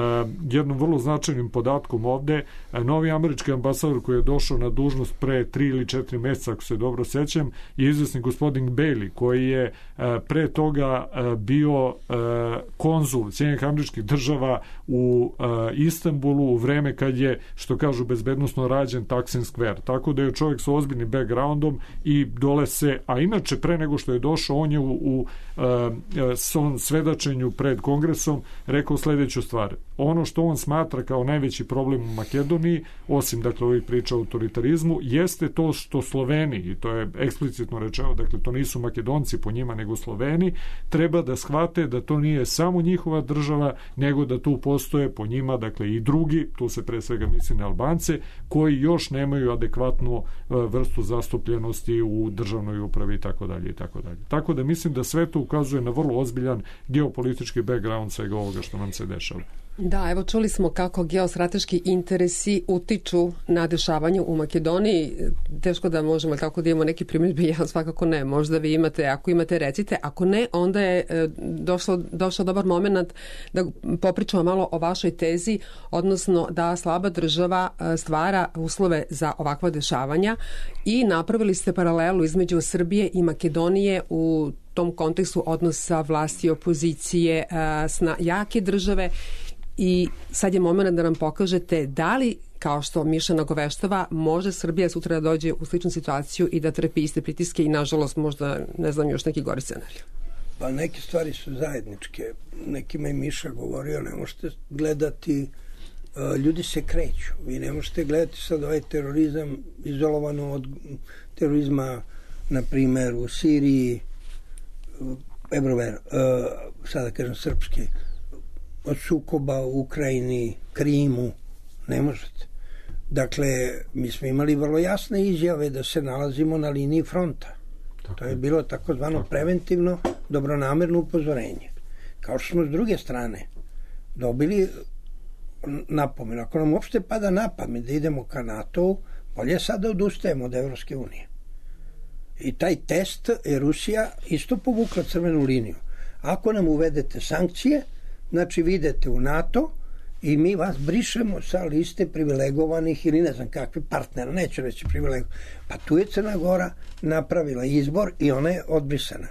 jednom vrlo značajnim podatkom ovde, uh, novi američki ambasador koji je došao na dužnost pre tri ili četiri meseca, ako se dobro sećam, je izvesni gospodin Bailey, koji je uh, pre toga uh, bio uh, konzul Sjedinjenih Američkih Država u uh, Istanbulu u vreme kad je, što kažu, bezbednosno rađen Taksim Square. Tako da je čovjek sa ozbiljnim backgroundom i dole se, a inače pre nego što je došao, on je u, u uh, svom svedočenju pred Kongresom rekao sledeću stvar. Ono što on smatra kao najveći problem u Makedoniji, osim, dakle, ovih priča o autoritarizmu, jeste to što Sloveni, i to je eksplicitno rečeno, dakle, to nisu Makedonci po njima, nego Sloveni, treba da shvate da to nije samo njihova država, nego da tu postoje po njima, dakle, i drugi, tu se pre svega misli na Albance, koji još nemaju adekvatnu vrstu zastupljenosti u državnoj upravi i tako dalje i tako dalje. Tako da mislim da sve to ukazuje na vrlo ozbiljan geopolitički background svega ovoga što nam se dešava. Da, evo čuli smo kako geostrateški interesi utiču na dešavanje u Makedoniji. Teško da možemo tako da imamo neki primjedbe, ja svakako ne. Možda vi imate, ako imate recite, ako ne, onda je došlo, došao dobar moment da popričamo malo o vašoj tezi, odnosno da slaba država stvara uslove za ovakva dešavanja i napravili ste paralelu između Srbije i Makedonije u tom kontekstu odnosa vlasti i opozicije sna jake države. I sad je moment da nam pokažete da li, kao što Miša nagoveštava, može Srbija sutra da dođe u sličnu situaciju i da trpi iste pritiske i, nažalost, možda, ne znam, još neki gori scenarij. Pa neke stvari su zajedničke. Nekima je Miša govorio, ne možete gledati, uh, ljudi se kreću. Vi ne možete gledati sad ovaj terorizam izolovano od terorizma, na primer, u Siriji, Ebrover, uh, sada kažem srpski, od sukoba u Ukrajini, Krimu, ne možete. Dakle, mi smo imali vrlo jasne izjave da se nalazimo na liniji fronta. Tako. To je bilo takozvano preventivno, dobronamerno upozorenje. Kao što smo s druge strane dobili napomenu. Ako nam uopšte pada na pamet da idemo ka NATO, bolje sad da odustajemo od Evropske unije. I taj test je Rusija isto povukla crvenu liniju. Ako nam uvedete sankcije, znači vi idete u NATO i mi vas brišemo sa liste privilegovanih ili ne znam kakvi partnera, neću reći privilegovanih. Pa tu je Crna Gora napravila izbor i ona je odbrisana.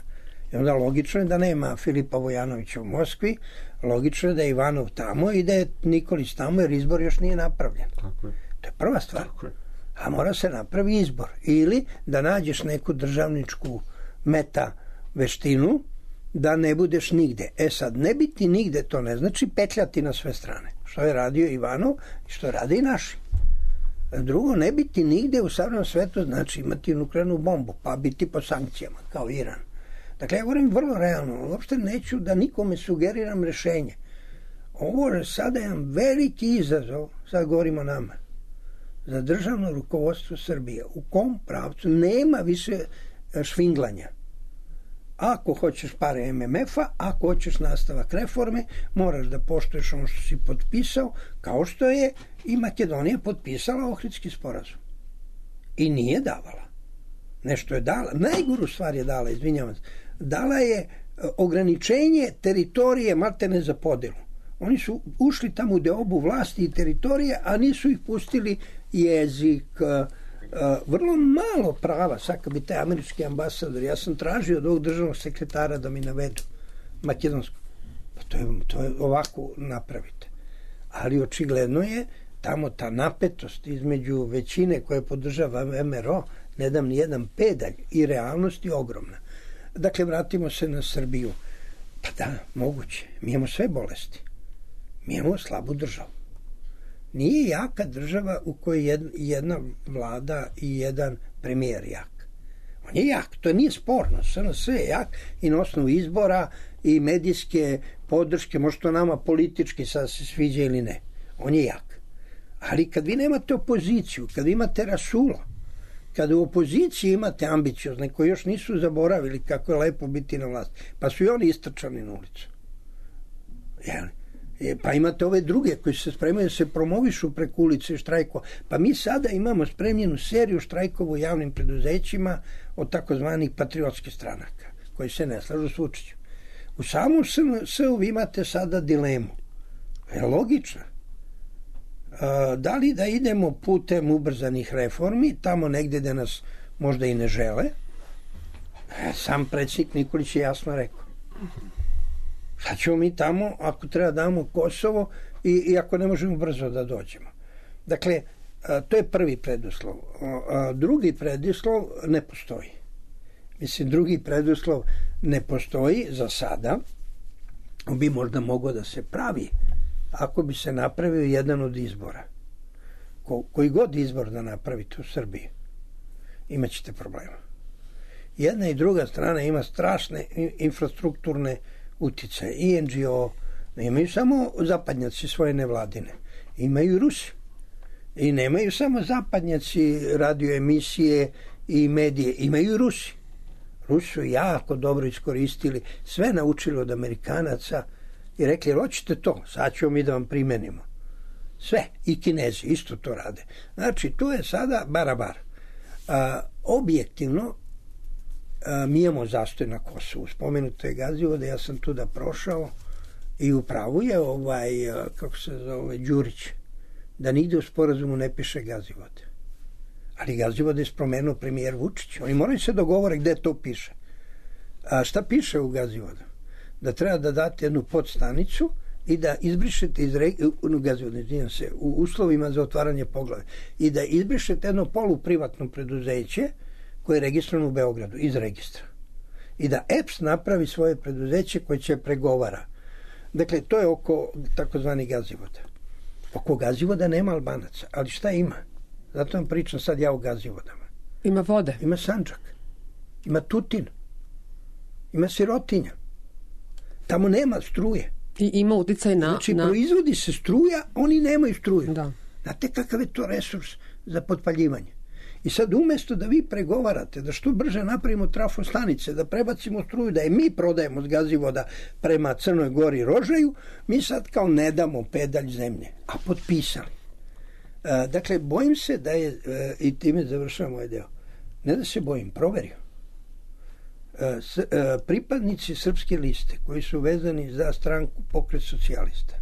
I onda logično je da nema Filipa Vojanovića u Moskvi, logično je da je Ivanov tamo i da je Nikolić tamo, jer izbor još nije napravljen. Tako je. To je prva stvar. Tako je. A mora se napravi izbor. Ili da nađeš neku državničku meta veštinu da ne budeš nigde. E sad, ne biti nigde, to ne znači petljati na sve strane. Što je radio Ivanov i što rade i naši. Drugo, ne biti nigde u savremenom svetu znači imati nuklearnu bombu, pa biti po sankcijama, kao Iran. Dakle, ja govorim vrlo realno. Uopšte neću da nikome sugeriram rešenje. Ovo je sada jedan veliki izazov, sad govorimo o nama, za državno rukovodstvo Srbije. U kom pravcu nema više švinglanja. Ako hoćeš pare em em ef-a, ako hoćeš nastavak reforme, moraš da poštuješ ono što si potpisao, kao što je i Makedonija potpisala Ohridski sporazum. I nije davala. Nešto je dala. Najgoru stvar je dala, izvinjavam se. Dala je ograničenje teritorije maltene za podelu. Oni su ušli tamo u deobu vlasti i teritorije, a nisu ih pustili jezik, vrlo malo prava. Sad kad bi taj američki ambasador, ja sam tražio od ovog državnog sekretara da mi navedu makedonsko. Pa to je, to je ovako napravite. Ali očigledno je tamo ta napetost između većine koje podržava em er o, ne dam ni jedan pedalj, i realnost je ogromna. Dakle, vratimo se na Srbiju. Pa da, moguće. Mi imamo sve bolesti. Mi imamo slabu državu. Nije jaka država u kojoj jedna vlada i jedan premijer jak. On je jak, to nije sporno. Sve je jak i na osnovu izbora i medijske podrške, možda to nama politički sad se sviđa ili ne. On je jak. Ali kad vi nemate opoziciju, kad imate Rasula, kada u opoziciji imate ambiciozne koji još nisu zaboravili kako je lepo biti na vlasti, pa su i oni istrčani na ulicu. Jel? Pa imate ove druge koji se spremaju da se promovišu preko ulice i štrajkova. Pa mi sada imamo spremljenu seriju štrajkova u javnim preduzećima od takozvanih patriotskih stranaka koji se ne slažu s Vučićem. U samom es u vi imate sada dilemu. Je logična. Da li da idemo putem ubrzanih reformi, tamo negde gde nas možda i ne žele? Sam predsjednik Nikolić je jasno rekao. Sad ćemo mi tamo, ako treba damo Kosovo i, i ako ne možemo brzo da dođemo. Dakle, to je prvi preduslov. Drugi preduslov ne postoji. Mislim, drugi preduslov ne postoji za sada. Bi možda mogao da se pravi ako bi se napravio jedan od izbora. Ko, koji god izbor da napravite u Srbiji, imat ćete problema. Jedna i druga strana ima strašne infrastrukturne uticaje. I en dži o, ne imaju samo zapadnjaci svoje nevladine, imaju i Rusi. I nemaju samo zapadnjaci radioemisije i medije, imaju i Rusi. Rusi su jako dobro iskoristili, sve naučili od Amerikanaca i rekli, hoćete to, sad ćemo mi da vam primenimo. Sve, i Kinezi isto to rade. Znači, tu je sada barabar. A, objektivno, a, mi imamo zastoj na Kosovu. Spomenuto je Gazivode, ja sam tu da prošao i upravo je ovaj, a, kako se zove, Đurić, da nigde u sporazumu ne piše Gazivode. Ali Gazivode je spomenuo premijer Vučić. Oni moraju se dogovore gde to piše. A šta piše u Gazivodu? Da treba da date jednu podstanicu i da izbrišete iz Gazivodu, se, u uslovima za otvaranje poglave, i da izbrišete jedno poluprivatno preduzeće koje je registrovano u Beogradu, iz registra. I da E P S napravi svoje preduzeće koje će pregovara. Dakle, to je oko takozvani Gazivoda. Oko Gazivoda nema Albanaca, ali šta ima? Zato vam pričam sad ja o Gazivodama. Ima vode. Ima Sandžak. Ima Tutin. Ima sirotinja. Tamo nema struje. I ima uticaj na... Znači, na... proizvodi se struja, oni nemaju struju. Da. Znate kakav je to resurs za potpaljivanje? I sad umjesto da vi pregovarate, da što brže napravimo trafostanice, da prebacimo struju, da je mi prodajemo s Gazivoda prema Crnoj Gori i Rožaju, mi sad kao ne damo pedalj zemlje. A potpisali. E, dakle, bojim se da je, e, i time završavam ovaj deo, ne da se bojim, proverio. E, s, e, pripadnici Srpske liste koji su vezani za stranku Pokret socijalista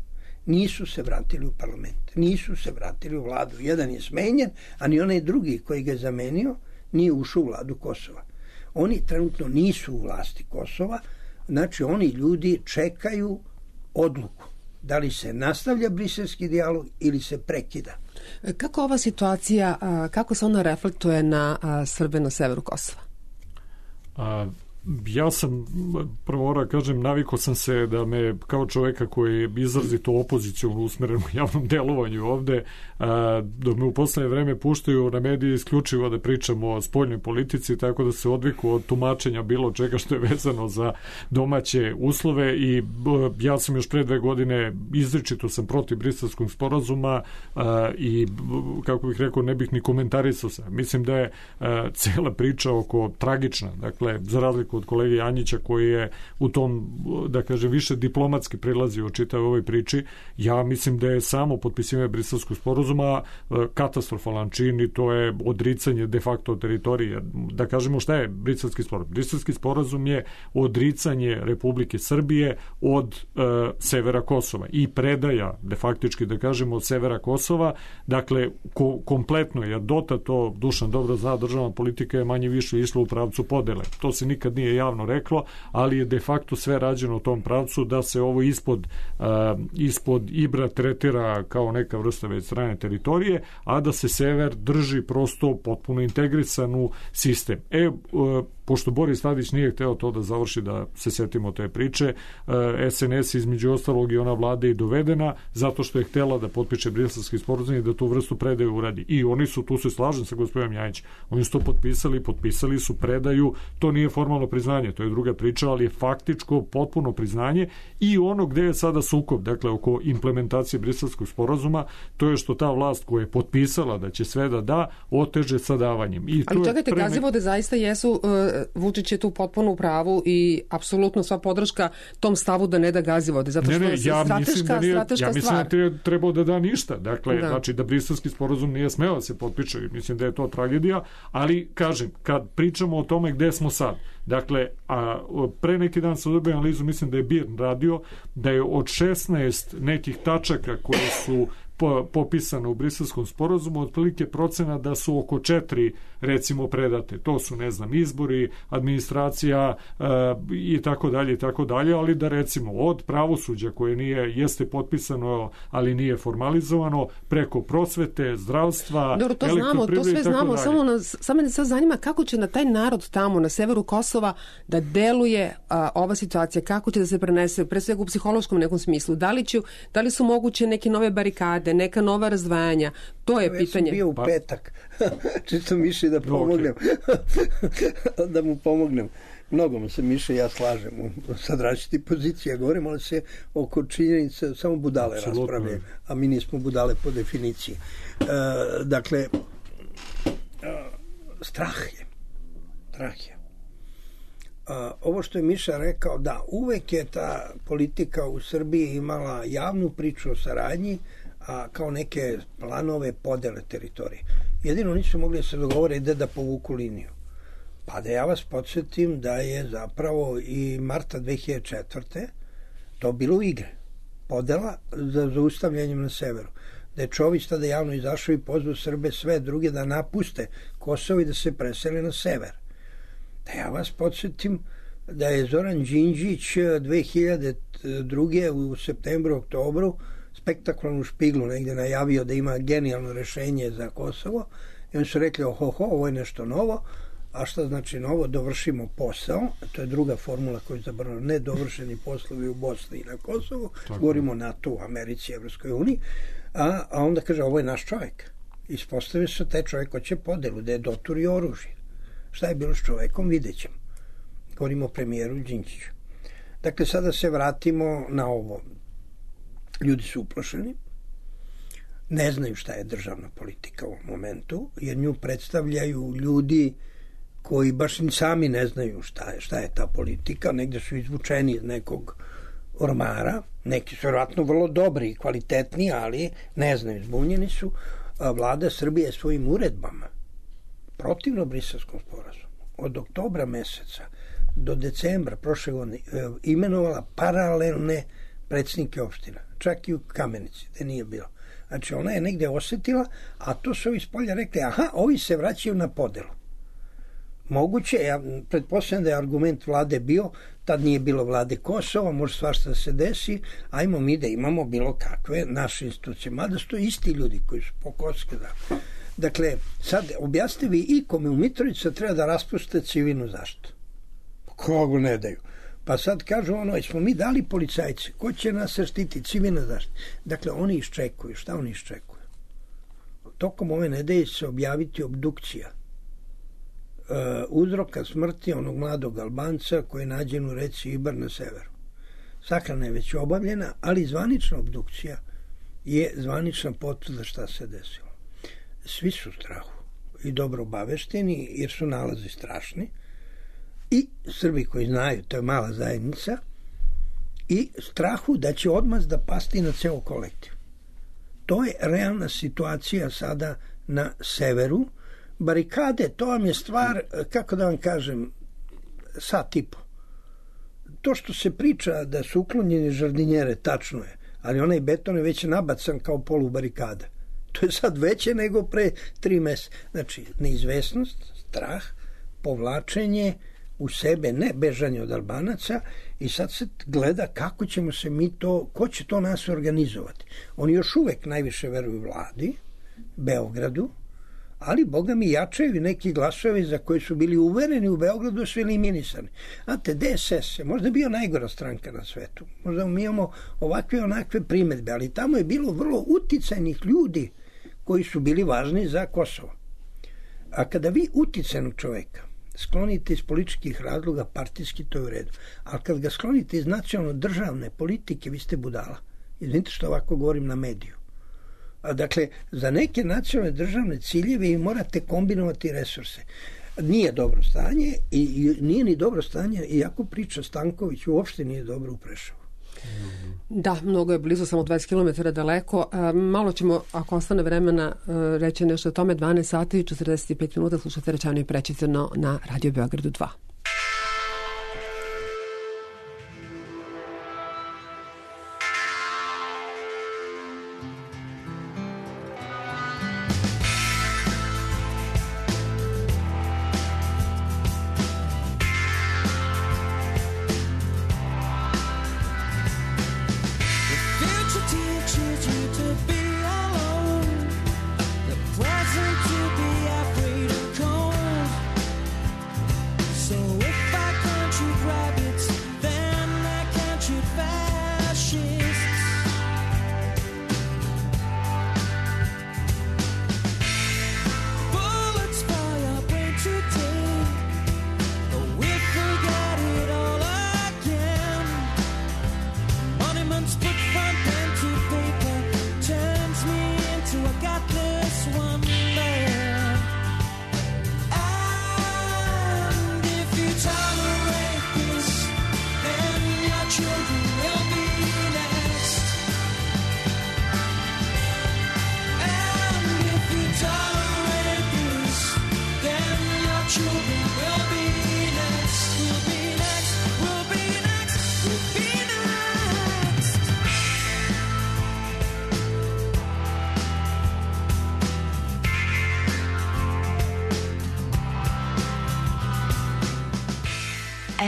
nisu se vratili u parlament, nisu se vratili u vladu. Jedan je smenjen, a ni onaj drugi koji ga je zamenio nije ušao u vladu Kosova. Oni trenutno nisu u vlasti Kosova, znači oni ljudi čekaju odluku. Da li se nastavlja briselski dijalog ili se prekida. Kako ova situacija, kako se ona reflektuje na Srbe na severu Kosova? A, ja sam, prvo mora kažem, navikao sam se da me kao čoveka koji je izrazito opozicijom usmeren u javnom delovanju ovde, a, dok me u poslednje vreme puštaju na medije isključivo da pričamo o spoljnoj politici, tako da se odviku od tumačenja bilo čega što je vezano za domaće uslove i ja sam još pre dve godine izričito sam protiv Briselskog sporazuma a, i kako bih rekao ne bih ni komentarisao se. Mislim da je a, cela priča oko tragična, dakle za razliku razliku od kolege Janjića koji je u tom, da kažem, više diplomatski prilazio čitavoj ovoj priči. Ja mislim da je samo potpisivanje Briselskog sporazuma katastrofalan čin i to je odricanje de facto teritorije. Da kažemo šta je Briselski sporazum? Briselski sporazum je odricanje Republike Srbije od e, severa Kosova i predaja, de faktički da kažemo, od severa Kosova, dakle ko, kompletno je dota, to Dušan dobro zna, državna politika je manje više išla u pravcu podele. To se nikad nije javno reklo, ali je de facto sve rađeno u tom pravcu da se ovo ispod, uh, ispod Ibra tretira kao neka vrsta već strane teritorije, a da se sever drži prosto potpuno integrisan u sistem. E, uh, pošto Boris Tadić nije hteo to da završi, da se setimo te priče, S N S između ostalog i ona vlada i dovedena zato što je htela da potpiše Briselski sporazum i da tu vrstu predaje uradi. I oni su, tu se slažem sa gospodinom Janjić, oni su to potpisali, potpisali su predaju, to nije formalno priznanje, to je druga priča, ali je faktičko potpuno priznanje i ono gde je sada sukob, dakle oko implementacije Briselskog sporazuma, to je što ta vlast koja je potpisala da će sve da da, oteže sa davanjem. I ali čekajte, preme... Gazivode zaista jesu, uh, Vučić je tu potpuno u pravu i apsolutno sva podrška tom stavu da ne da Gazivode, zato što ne, ne, je ja strateška, da nije, strateška ja mislim stvar. da je trebao da da ništa, dakle, da. znači da Briselski sporazum nije smeo da se potpiše, mislim da je to tragedija, ali kažem, kad pričamo o tome gde smo sad, dakle, a pre neki dan sam dobio analizu, mislim da je Birn radio, da je od šesnaest nekih tačaka koje su popisano u Briselskom sporazumu, otprilike procena da su oko četiri recimo predate. To su, ne znam, izbori, administracija e, i tako dalje i tako dalje, ali da recimo od pravosuđa koje nije, jeste potpisano, ali nije formalizovano, preko prosvete, zdravstva, dobro, to znamo, to sve znamo, samo nas, samo me sve zanima kako će na taj narod tamo, na severu Kosova, da deluje a, ova situacija, kako će da se prenese, pre svega u psihološkom nekom smislu. Da li, ću, da li su moguće neke nove barikade, neka nova razdvajanja? To je ja pitanje. Ja sam bio u petak, čisto Miši da pomognem. Okay. da mu pomognem. Mnogo mu se Miše ja slažem sad različiti pozicija. Govorimo ali se oko činjenice samo budale raspravljaju, a mi nismo budale po definiciji. E, dakle, e, strah je. Strah je. A, ovo što je Miša rekao, da, uvek je ta politika u Srbiji imala javnu priču o saradnji, a kao neke planove podele teritorije. Jedino nisu mogli da se dogovore gde da povuku liniju. Pa da ja vas podsjetim da je zapravo i marta dve hiljade četvrte to bilo u igre. Podela za zaustavljanjem na severu. Da je Čović tada javno izašao i pozvao Srbe sve druge da napuste Kosovo i da se presele na sever. Da ja vas podsjetim da je Zoran Đinđić dve hiljade druge u septembru, oktobru spektakularnu špiglu negde najavio da ima genijalno rešenje za Kosovo i oni su rekli ohoho, ovo je nešto novo. A šta znači novo? Dovršimo posao, to je druga formula koju je zabrano, nedovršeni poslovi u Bosni i na Kosovu, tako. Govorimo o NATO, u Americi, Evropskoj uniji, a, a onda kaže ovo je naš čovjek. Ispostavio se taj čovjek hoće podelu, da je doturio oružje. Šta je bilo s čovekom, vidjet ćemo. Govorimo o premijeru Đinđiću. Dakle, sada se vratimo na ovo. Ljudi su uplašeni, ne znaju šta je državna politika u ovom momentu, jer nju predstavljaju ljudi koji baš ni sami ne znaju šta je, šta je ta politika, negde su izvučeni iz nekog ormara, neki su vjerojatno vrlo dobri i kvalitetni, ali ne znaju, zbunjeni su. A vlada Srbije svojim uredbama protivno Briselskom sporazumu od oktobra meseca do decembra prošle godine imenovala paralelne predsjednike opština, čak i u Kamenici, gde nije bilo. Znači ona je negde osetila, a to su ovi s polja rekli, aha, ovi se vraćaju na podelu. Moguće, ja pretpostavljam da je argument vlade bio, tad nije bilo vlade Kosova, može svašta da se desi, ajmo mi da imamo bilo kakve naše institucije, mada su to isti ljudi koji su pokoske. Da. Dakle, sad objasnite vi i kome u Mitrovicu treba da raspuste civilnu zaštitu. Kogo ne daju? Pa sad kažu ono, smo mi dali policajce, ko će nas štiti, civilna zaštita. Dakle, oni iščekuju. Šta oni iščekuju? Tokom ove nedelje se objaviti obdukcija uh, uzroka smrti onog mladog Albanca koji je nađen u reci Ibar na severu. Sahrana je već obavljena, ali zvanična obdukcija je zvanična potvrda šta se desilo. Svi su u strahu i dobro obavešteni jer su nalazi strašni i Srbi koji znaju, to je mala zajednica, i strahu da će odmaz da pasti na ceo kolektiv. To je realna situacija sada na severu. Barikade, to vam je stvar, kako da vam kažem, sat i po. To što se priča da su uklonjeni žardinjere, tačno je, ali onaj beton je već nabacan kao polu barikada. To je sad veće nego pre tri meseca. Znači, neizvesnost, strah, povlačenje u sebe, ne bežanje od Albanaca, i sad se gleda kako ćemo se mi to, ko će to nas organizovati. Oni još uvek najviše veruju vladi, Beogradu, ali boga mi jačaju neki glasovi za koji su bili uvereni u Beogradu su eliminisani. Znate, D S S je možda bio najgora stranka na svetu. Možda mi imamo ovakve onakve primetbe, ali tamo je bilo vrlo uticajnih ljudi koji su bili važni za Kosovo. A kada vi uticajnog čoveka sklonite iz političkih razloga, partijski, to je u redu. Ali kad ga sklonite iz nacionalno-državne politike, vi ste budala. Izvinite što ovako govorim na mediju. A dakle, za neke nacionalne državne ciljeve vi morate kombinovati resurse. Nije dobro stanje i, i nije ni dobro stanje, iako priča Stanković uopšte nije dobro u Preševu. Da, mnogo je blizu, samo dvadeset kilometara daleko. E, malo ćemo, ako ostane vremena, e, reći nešto o tome. Dvanaest sati i četrdeset pet minuta slušate Rečeno i Prečicano na Radio Beogradu dva.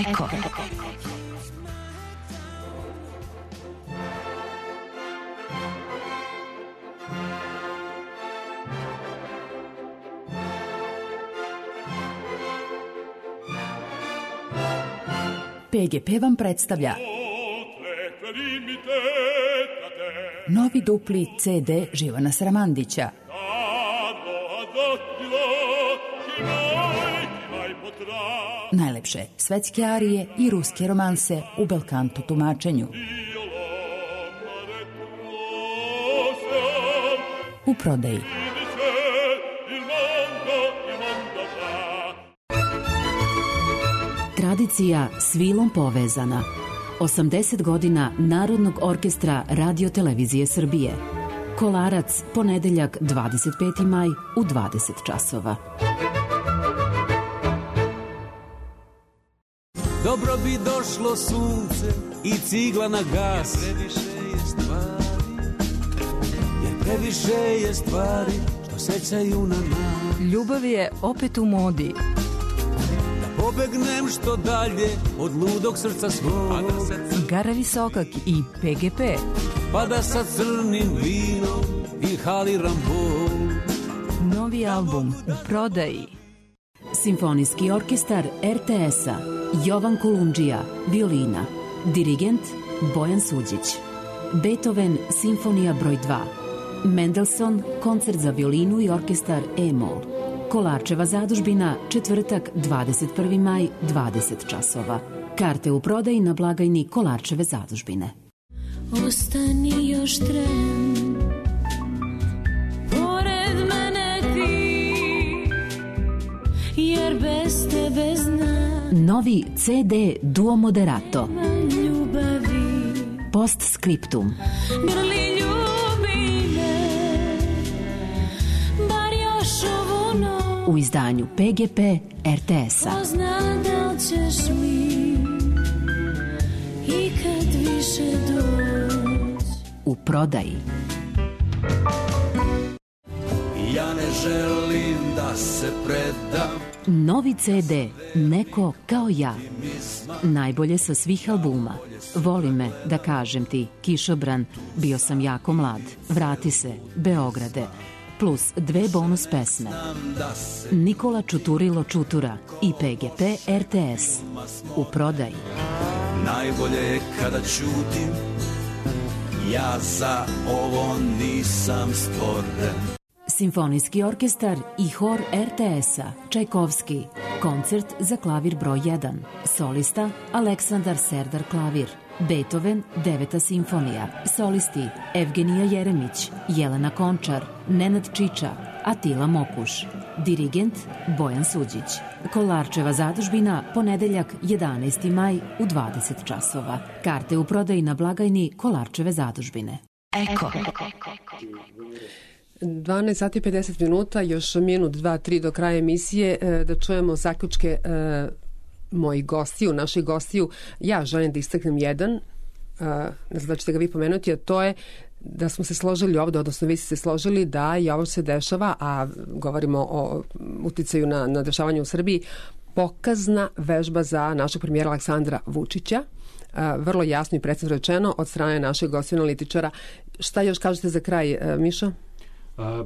Eko. P G P vam predstavlja novi dupli C D Živana Sramandića. Najlepše svetske arije i ruske romanse u belkanto tumačenju. U prodaji. Tradicija s vilom povezana. osamdeset godina Narodnog orkestra Radio Televizije Srbije. Kolarac, ponedeljak dvadeset peti maj u dvadeset časova. Dobro bi došlo sunce i cigla na gas. Jer previše je stvari, jer previše je stvari što sećaju na nas. Ljubav je opet u modi. Da pobegnem što dalje od ludog srca svog. Gara Visokak i P G P. Pa da sa crnim vinom inhaliram bol. Novi album u prodaji. Simfonijski orkestar R T S-a Jovan Kolundžija, violina. Dirigent Bojan Suđić. Beethoven, simfonija broj dva. Mendelssohn, koncert za violinu i orkestar E-mol. Kolarčeva zadužbina, četvrtak, dvadeset prvi maj, dvadeset časova. Karte u prodaji na blagajni Kolarčeve zadužbine. Ostani još tren, pored mene ti, jer bez tebe znam. Novi ce de Duo Moderato. Post scriptum. Grli ljubi me, bar još ovu noć. U izdanju P G P R T S-a. Ko zna da li ćeš mi ikad više doći. U prodaji. Ja ne želim da se predam. Novi ce de Neko kao ja. Najbolje sa svih albuma. Voli me, da kažem ti, Kišobran, Bio sam jako mlad, Vrati se, Beograde, plus dve bonus pesme. Nikola Čuturilo Čutura i P G P R T S. U prodaji. Najbolje je kada ćutim, ja za ovo nisam stvoren. Simfonijski orkestar i hor R T S-a, Čajkovski, koncert za klavir broj jedan, solista Aleksandar Serdar klavir, Beethoven, deveta simfonija, solisti Evgenija Jeremić, Jelena Končar, Nenad Čiča, Atila Mokuš, dirigent Bojan Suđić. Kolarčeva zadužbina, ponedeljak jedanaesti maj u dvadeset časova. Karte u prodaji na blagajni Kolarčeve zadužbine. Eko. dvanaest sati i pedeset minuta, još minut, dva, tri do kraja emisije, da čujemo zaključke mojih gostiju, naših gostiju. Ja želim da istaknem jedan, ne znam da ćete ga vi pomenuti, a to je da smo se složili ovde, odnosno vi ste se složili da i ovo se dešava, a govorimo o uticaju na, na dešavanje u Srbiji, pokazna vežba za našeg premijera Aleksandra Vučića, vrlo jasno i precizno rečeno od strane našeg gostiju analitičara. Šta još kažete za kraj, Mišo? A,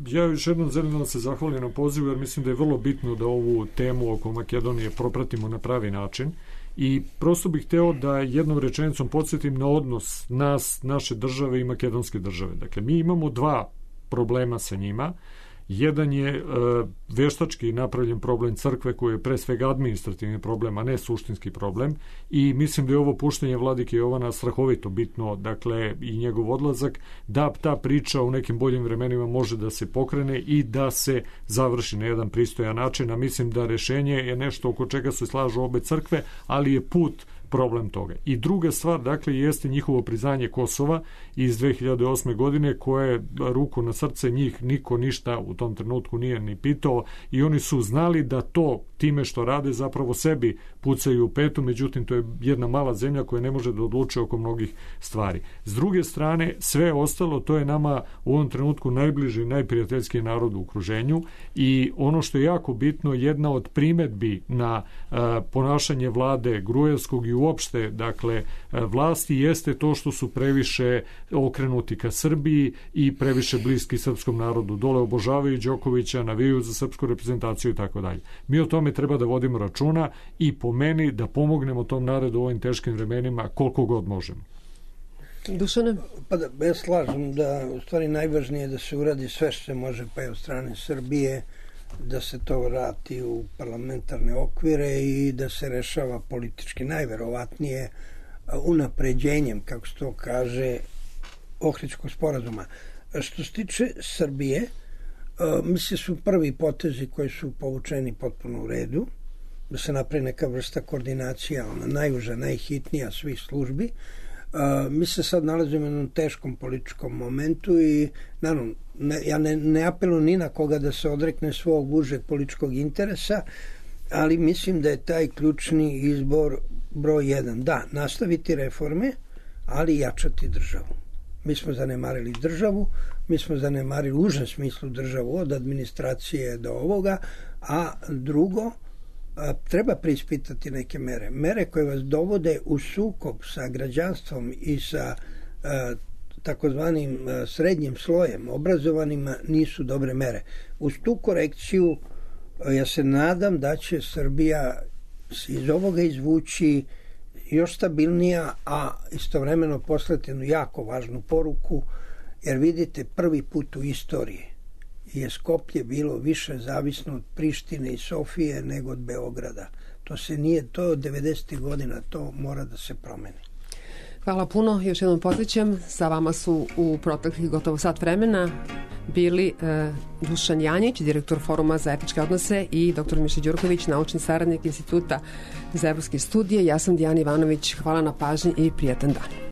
ja još jednom želim da vam se zahvalim na pozivu, jer mislim da je vrlo bitno da ovu temu oko Makedonije propratimo na pravi način i prosto bih hteo da jednom rečenicom podsjetim na odnos nas, naše države i makedonske države. Dakle, mi imamo dva problema sa njima. Jedan je e, veštački napravljen problem crkve, koji je pre svega administrativni problem, a ne suštinski problem, i mislim da je ovo puštenje vladike Jovana strahovito bitno, dakle i njegov odlazak, da ta priča u nekim boljim vremenima može da se pokrene i da se završi na jedan pristojan način, a mislim da rešenje je nešto oko čega se slažu obe crkve, ali je put problem toga. I druga stvar, dakle, jeste njihovo priznanje Kosova iz dve hiljade osme godine, koje, ruku na srce, njih niko ništa u tom trenutku nije ni pitao i oni su znali da to time što rade zapravo sebi pucaju u petu, međutim to je jedna mala zemlja koja ne može da odlučuje oko mnogih stvari. S druge strane, sve ostalo, to je nama u ovom trenutku najbliži i najprijateljski narod u okruženju i ono što je jako bitno, jedna od primetbi na uh, ponašanje vlade Gruevskog i uopšte, dakle, vlasti jeste to što su previše okrenuti ka Srbiji i previše bliski srpskom narodu. Dole obožavaju Đokovića, navijaju za srpsku reprezentaciju i tako dalje. Mi o tome treba da vodimo računa i po meni da pomognemo tom narodu u ovim teškim vremenima koliko god možemo. Dušane? Pa da, ja slažem da u stvari najvažnije je da se uradi sve što se može, pa je od strane Srbije, da se to vrati u parlamentarne okvire i da se rešava politički najverovatnije unapređenjem, kako se to kaže, Ohridskog sporazuma. Što se tiče Srbije, mislim su prvi potezi koji su povučeni potpuno u redu, da se napravi neka vrsta koordinacija, ona najuža, najhitnija svih službi. Uh, mi se sad nalazimo u jednom teškom političkom momentu i naravno, ne, ja ne, ne apelujem ni na koga da se odrekne svog užeg političkog interesa, ali mislim da je taj ključni izbor broj jedan. Da, nastaviti reforme, ali jačati državu. Mi smo zanemarili državu, mi smo zanemarili u užem smislu državu od administracije do ovoga, a drugo, a, treba preispitati neke mere. Mere koje vas dovode u sukob sa građanstvom i sa a, takozvanim a, srednjim slojem, obrazovanima, nisu dobre mere. Uz tu korekciju a, ja se nadam da će Srbija iz ovoga izvući još stabilnija, a istovremeno poslati jednu jako važnu poruku, jer vidite, prvi put u istoriji je Skoplje bilo više zavisno od Prištine i Sofije nego od Beograda. To se nije, to od devedesetih godina, to mora da se promeni. Hvala puno, još jednom podsjećam, sa vama su u proteklih gotovo sat vremena bili e, Dušan Janjić, direktor Foruma za etičke odnose, i doktor Miša Đurković, naučni saradnik Instituta za evropske studije. Ja sam Dijana Ivanović. Hvala na pažnji i prijatan dan.